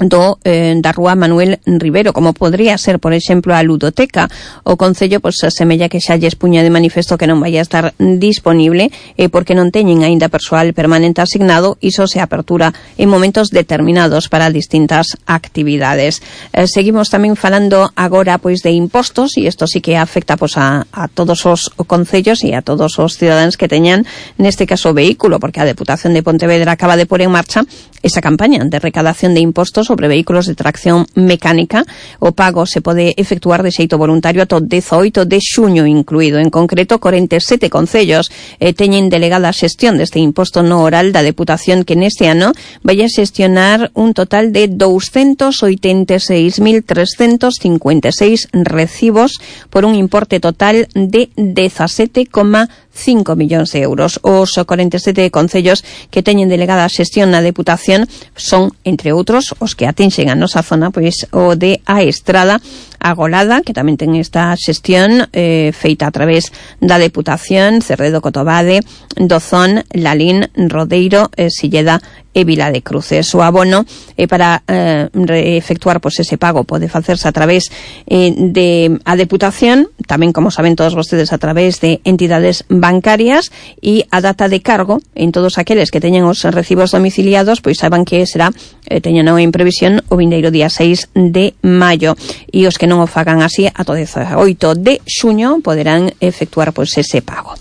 do eh, da Rúa Manuel Rivero, como podría ser, por exemplo, a ludoteca. O Concello pois semella que xa lles puña de manifesto que non vai a estar disponible eh, porque non teñen aínda persoal permanente asignado, e só se apertura en momentos determinados para distintas actividades. Eh, seguimos tamén falando agora pois de impostos, e isto sí que afecta pois a, a todos os concellos e a todos os cidadáns que teñan neste caso vehículo, porque a Deputación de Pontevedra acaba de pôr en marcha esa campaña de recadación de impostos sobre vehículos de tracción mecánica. O pago se pode efectuar de xeito voluntario ata o dezaoito de xuño incluído. En concreto, corenta e sete concellos eh, teñen delegada a xestión deste imposto no oral da Deputación, que neste ano vai a xestionar un total de douscentos oitenta e seis mil trescentos cincuenta e seis recibos por un importe total de dezasete coma cinco millóns de euros. Os corenta e sete concellos que teñen delegada a xestión na Deputación son, entre outros, os que atinxen a nosa zona, pois o de A Estrada, Agolada, que tamén ten esta xestión eh, feita a través da Deputación, Cerredo, Cotobade, Dozón, Lalín, Rodeiro, eh, Silleda e Vila de Cruces. O abono eh, para eh, efectuar pois ese pago pode facerse a través eh, de a Deputación, tamén, como saben todos vostedes, a través de entidades bancarias, e a data de cargo en todos aqueles que teñen os recibos domiciliados, pois saiban que será, eh, teñen en previsión o vindeiro día seis de maio, e os que non o fagan así ata o dezaoito de xuño poderán efectuar pois ese pago.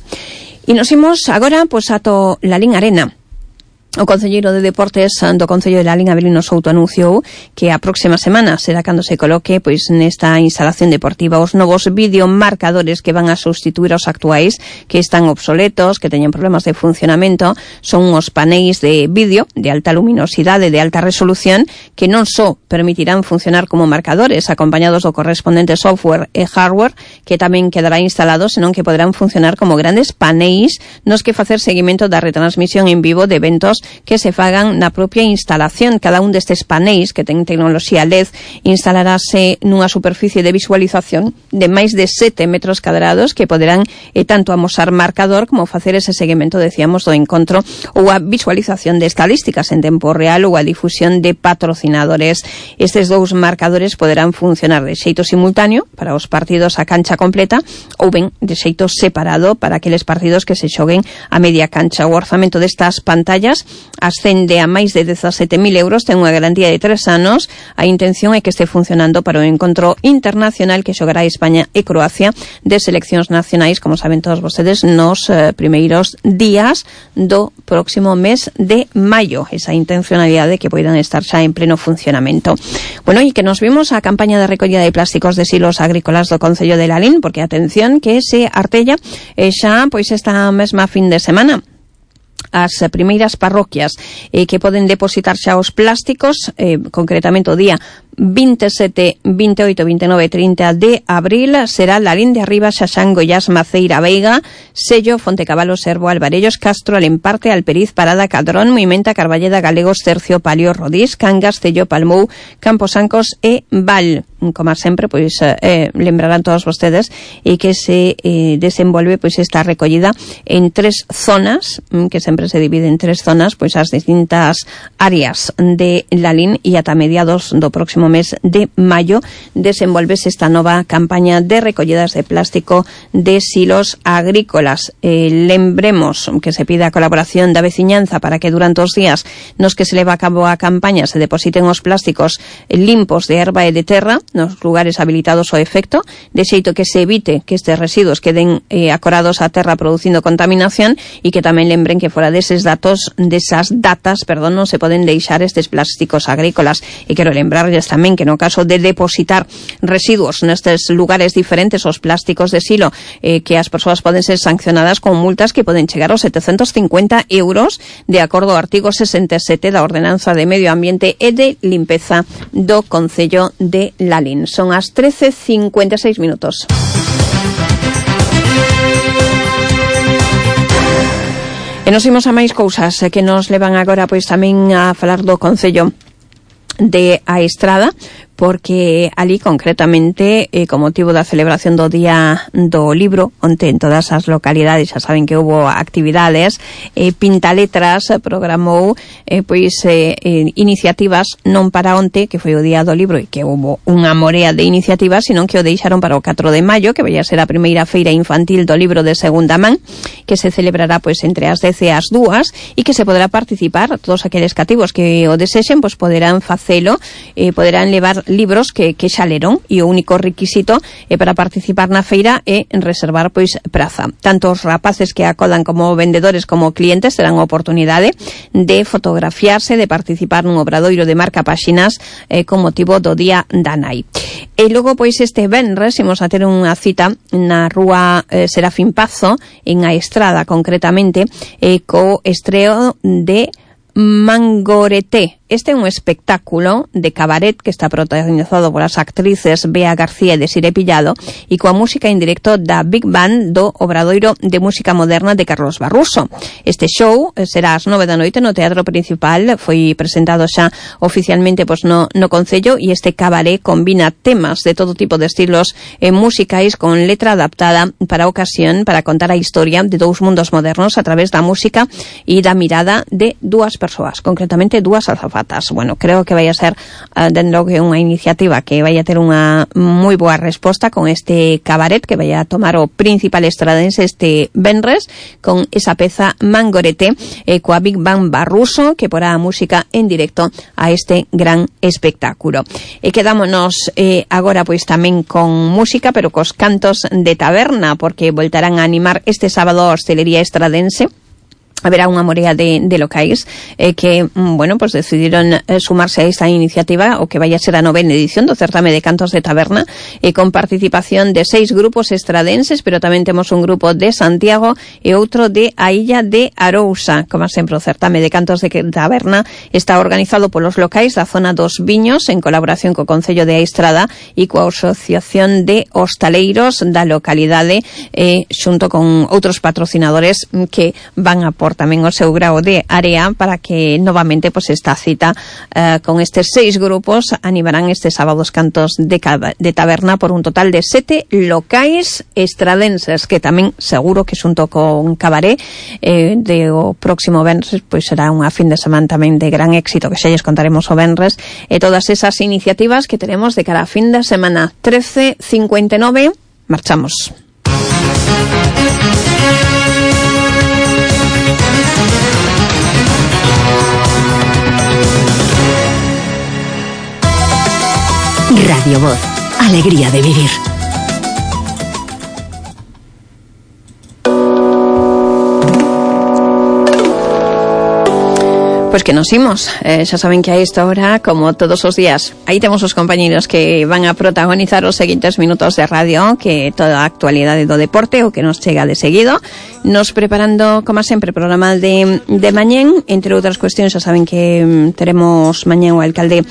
E nos imos agora pois ato Lalín Arena. O concelleiro de Deportes do Concello de Lalín, Abelino Souto, anunciou que a próxima semana será cando se coloque pois nesta instalación deportiva os novos videomarcadores que van a sustituir aos actuais, que están obsoletos, que teñen problemas de funcionamento. Son os paneis de vídeo de alta luminosidade, de alta resolución, que non só permitirán funcionar como marcadores acompañados do correspondente software e hardware que tamén quedará instalado, senón que poderán funcionar como grandes paneis nos que facer seguimento da retransmisión en vivo de eventos que se fagan na propia instalación. Cada un destes paneis, que ten tecnoloxía L E D, instalarase nunha superficie de visualización de máis de sete metros cadrados, que poderán eh, tanto amosar marcador como facer ese seguimento, decíamos, do encontro, ou a visualización de estadísticas en tempo real, ou a difusión de patrocinadores. Estes dous marcadores poderán funcionar de xeito simultáneo para os partidos a cancha completa, ou ben de xeito separado para aqueles partidos que se xoguen a media cancha. O orzamento destas pantallas ascende a máis de dezasete mil euros, ten unha garantía de tres anos. A intención é que este funcionando para o encontro internacional que xogará España e Croacia de seleccións nacionais, como saben todos vostedes, nos eh, primeiros días do próximo mes de maio. Esa intencionalidade que poidan estar xa en pleno funcionamento. Bueno, e que nos vimos a campaña de recollida de plásticos de silos agrícolas do Concello de Lalín, porque atención que se artella eh, xa pois esta mesma fin de semana. As primeiras parroquias eh, que poden depositar xa os plásticos, eh, concretamente o día veintisiete, veintiocho, veintinueve, treinta de abril será la Lalín de Arriba, Xaxán, Goiás, Maceira, Veiga, Sello, Fontecabalo, Servo, Alvarellos, Castro, Alemparte, Alperiz, Parada, Cadrón, Moimenta, Carballeda, Galegos, Tercio, Palio, Rodís, Cangas, Cello, Palmou, Camposancos e Val. Como sempre, pois eh, lembrarán todos vostedes e que se eh, desenvolve pois esta recollida en tres zonas, que sempre se divide en tres zonas, pois as distintas áreas de Lalín, e ata mediados do próximo mes de maio desenvolvese esta nova campaña de recollidas de plástico de silos agrícolas. Eh, lembremos que se pide a colaboración da veciñanza para que durante os días nos que se leva a cabo a campaña se depositen os plásticos limpos de herba e de terra nos lugares habilitados ao efecto, de xeito que se evite que estes residuos queden eh, acorados á terra producindo contaminación, e que tamén lembren que fora deses datos, desas datas, perdón, non se poden deixar estes plásticos agrícolas. E quero lembrarles tamén que no caso de depositar residuos nestes lugares diferentes, os plásticos de silo, eh, que as persoas poden ser sancionadas con multas que poden chegar aos setecentos cincuenta euros, de acordo ao artigo sesenta e sete da Ordenanza de Medio Ambiente e de Limpeza do Concello de Lalín. Son as trece cincuenta e seis minutos. E nos imos a máis cousas que nos levan agora pois tamén a falar do Concello de A Estrada, porque ali concretamente eh, con motivo da celebración do Día do Libro, onte en todas as localidades xa saben que houve actividades, eh, Pintaletras programou eh, pois eh, eh, iniciativas non para onte, que foi o Día do Libro e que houve unha morea de iniciativas, sino que o deixaron para o catro de maio, que vai a ser a primeira feira infantil do libro de segunda man, que se celebrará pois entre as dez e as dúas, e que se poderá participar, todos aqueles cativos que o desexen pois poderán facelo, eh, poderán levar libros que, que xa leron, e o único requisito eh, para participar na feira é reservar pois praza. Tanto os rapaces que acodan como vendedores como clientes terán a oportunidade de fotografiarse, de participar nun obradoiro de marca páxinas eh, con motivo do Día da Nai. E logo pois este venres imos a ter unha cita na rúa eh, Serafín Pazo, en A Estrada concretamente, eh, co estreo de Mangoreté. Este é un espectáculo de cabaret que está protagonizado polas actrices Bea García e Desiré Pillado, e coa música en directo da Big Band do Obradoiro de Música Moderna de Carlos Barruso. Este show será ás nove da noite no Teatro Principal, foi presentado xa oficialmente pois no, no Concello, e este cabaret combina temas de todo tipo de estilos eh, musicais con letra adaptada para a ocasión, para contar a historia de dous mundos modernos a través da música e da mirada de dúas persoas, concretamente dúas azafatas. Bueno, creo que vai a ser uh, dentro que unha iniciativa que vai a ter unha moi boa resposta con este cabaret que vai a tomar o principal estradense este venres con esa peza Mangoreté, eh, coa Big Band Barruso, que porá a música en directo a este gran espectáculo. E quedámonos eh, agora pois tamén con música, pero cos cantos de taberna, porque voltarán a animar este sábado a hostelería estradense. Haberá unha morea de, de locais eh, que, bueno, pues decidiron eh, sumarse a esta iniciativa, o que vai a ser a novena edición do certame de cantos de taberna, e eh, con participación de seis grupos estradenses, pero tamén temos un grupo de Santiago e outro de a Illa de Arousa. Como sempre, o certame de cantos de taberna está organizado polos locais da zona dos Viños, en colaboración co Concello de A Estrada e coa Asociación de Hostaleiros da localidade, eh, xunto con outros patrocinadores que van a por tamén o seu grao de area para que novamente pues, esta cita eh, con estes seis grupos animarán este sábado os cantos de, de taberna por un total de sete locais estradenses, que tamén seguro que xunto con cabaré eh, de o próximo venres pois será unha fin de semana tamén de gran éxito, que xa lles contaremos o venres, e todas esas iniciativas que tenemos de cara a fin de semana. Trece cincuenta e nove, marchamos. Radio Voz, alegría de vivir. Pois que nos imos, eh, xa saben que a esta hora, como todos os días, aí temos os compañeros que van a protagonizar os seguintes minutos de radio, que toda a actualidade do deporte, o que nos chega de seguido, nos preparando, como sempre, programa de, de mañén, entre outras cuestións, xa saben que mm, teremos mañén o alcalde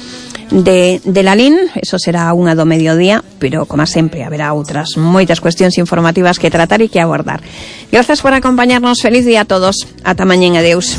de, de Lalín. Eso será a unha do mediodía, pero como sempre haberá outras moitas cuestións informativas que tratar e que abordar. Grazas por acompañarnos, feliz día a todos, ata mañén, adeus.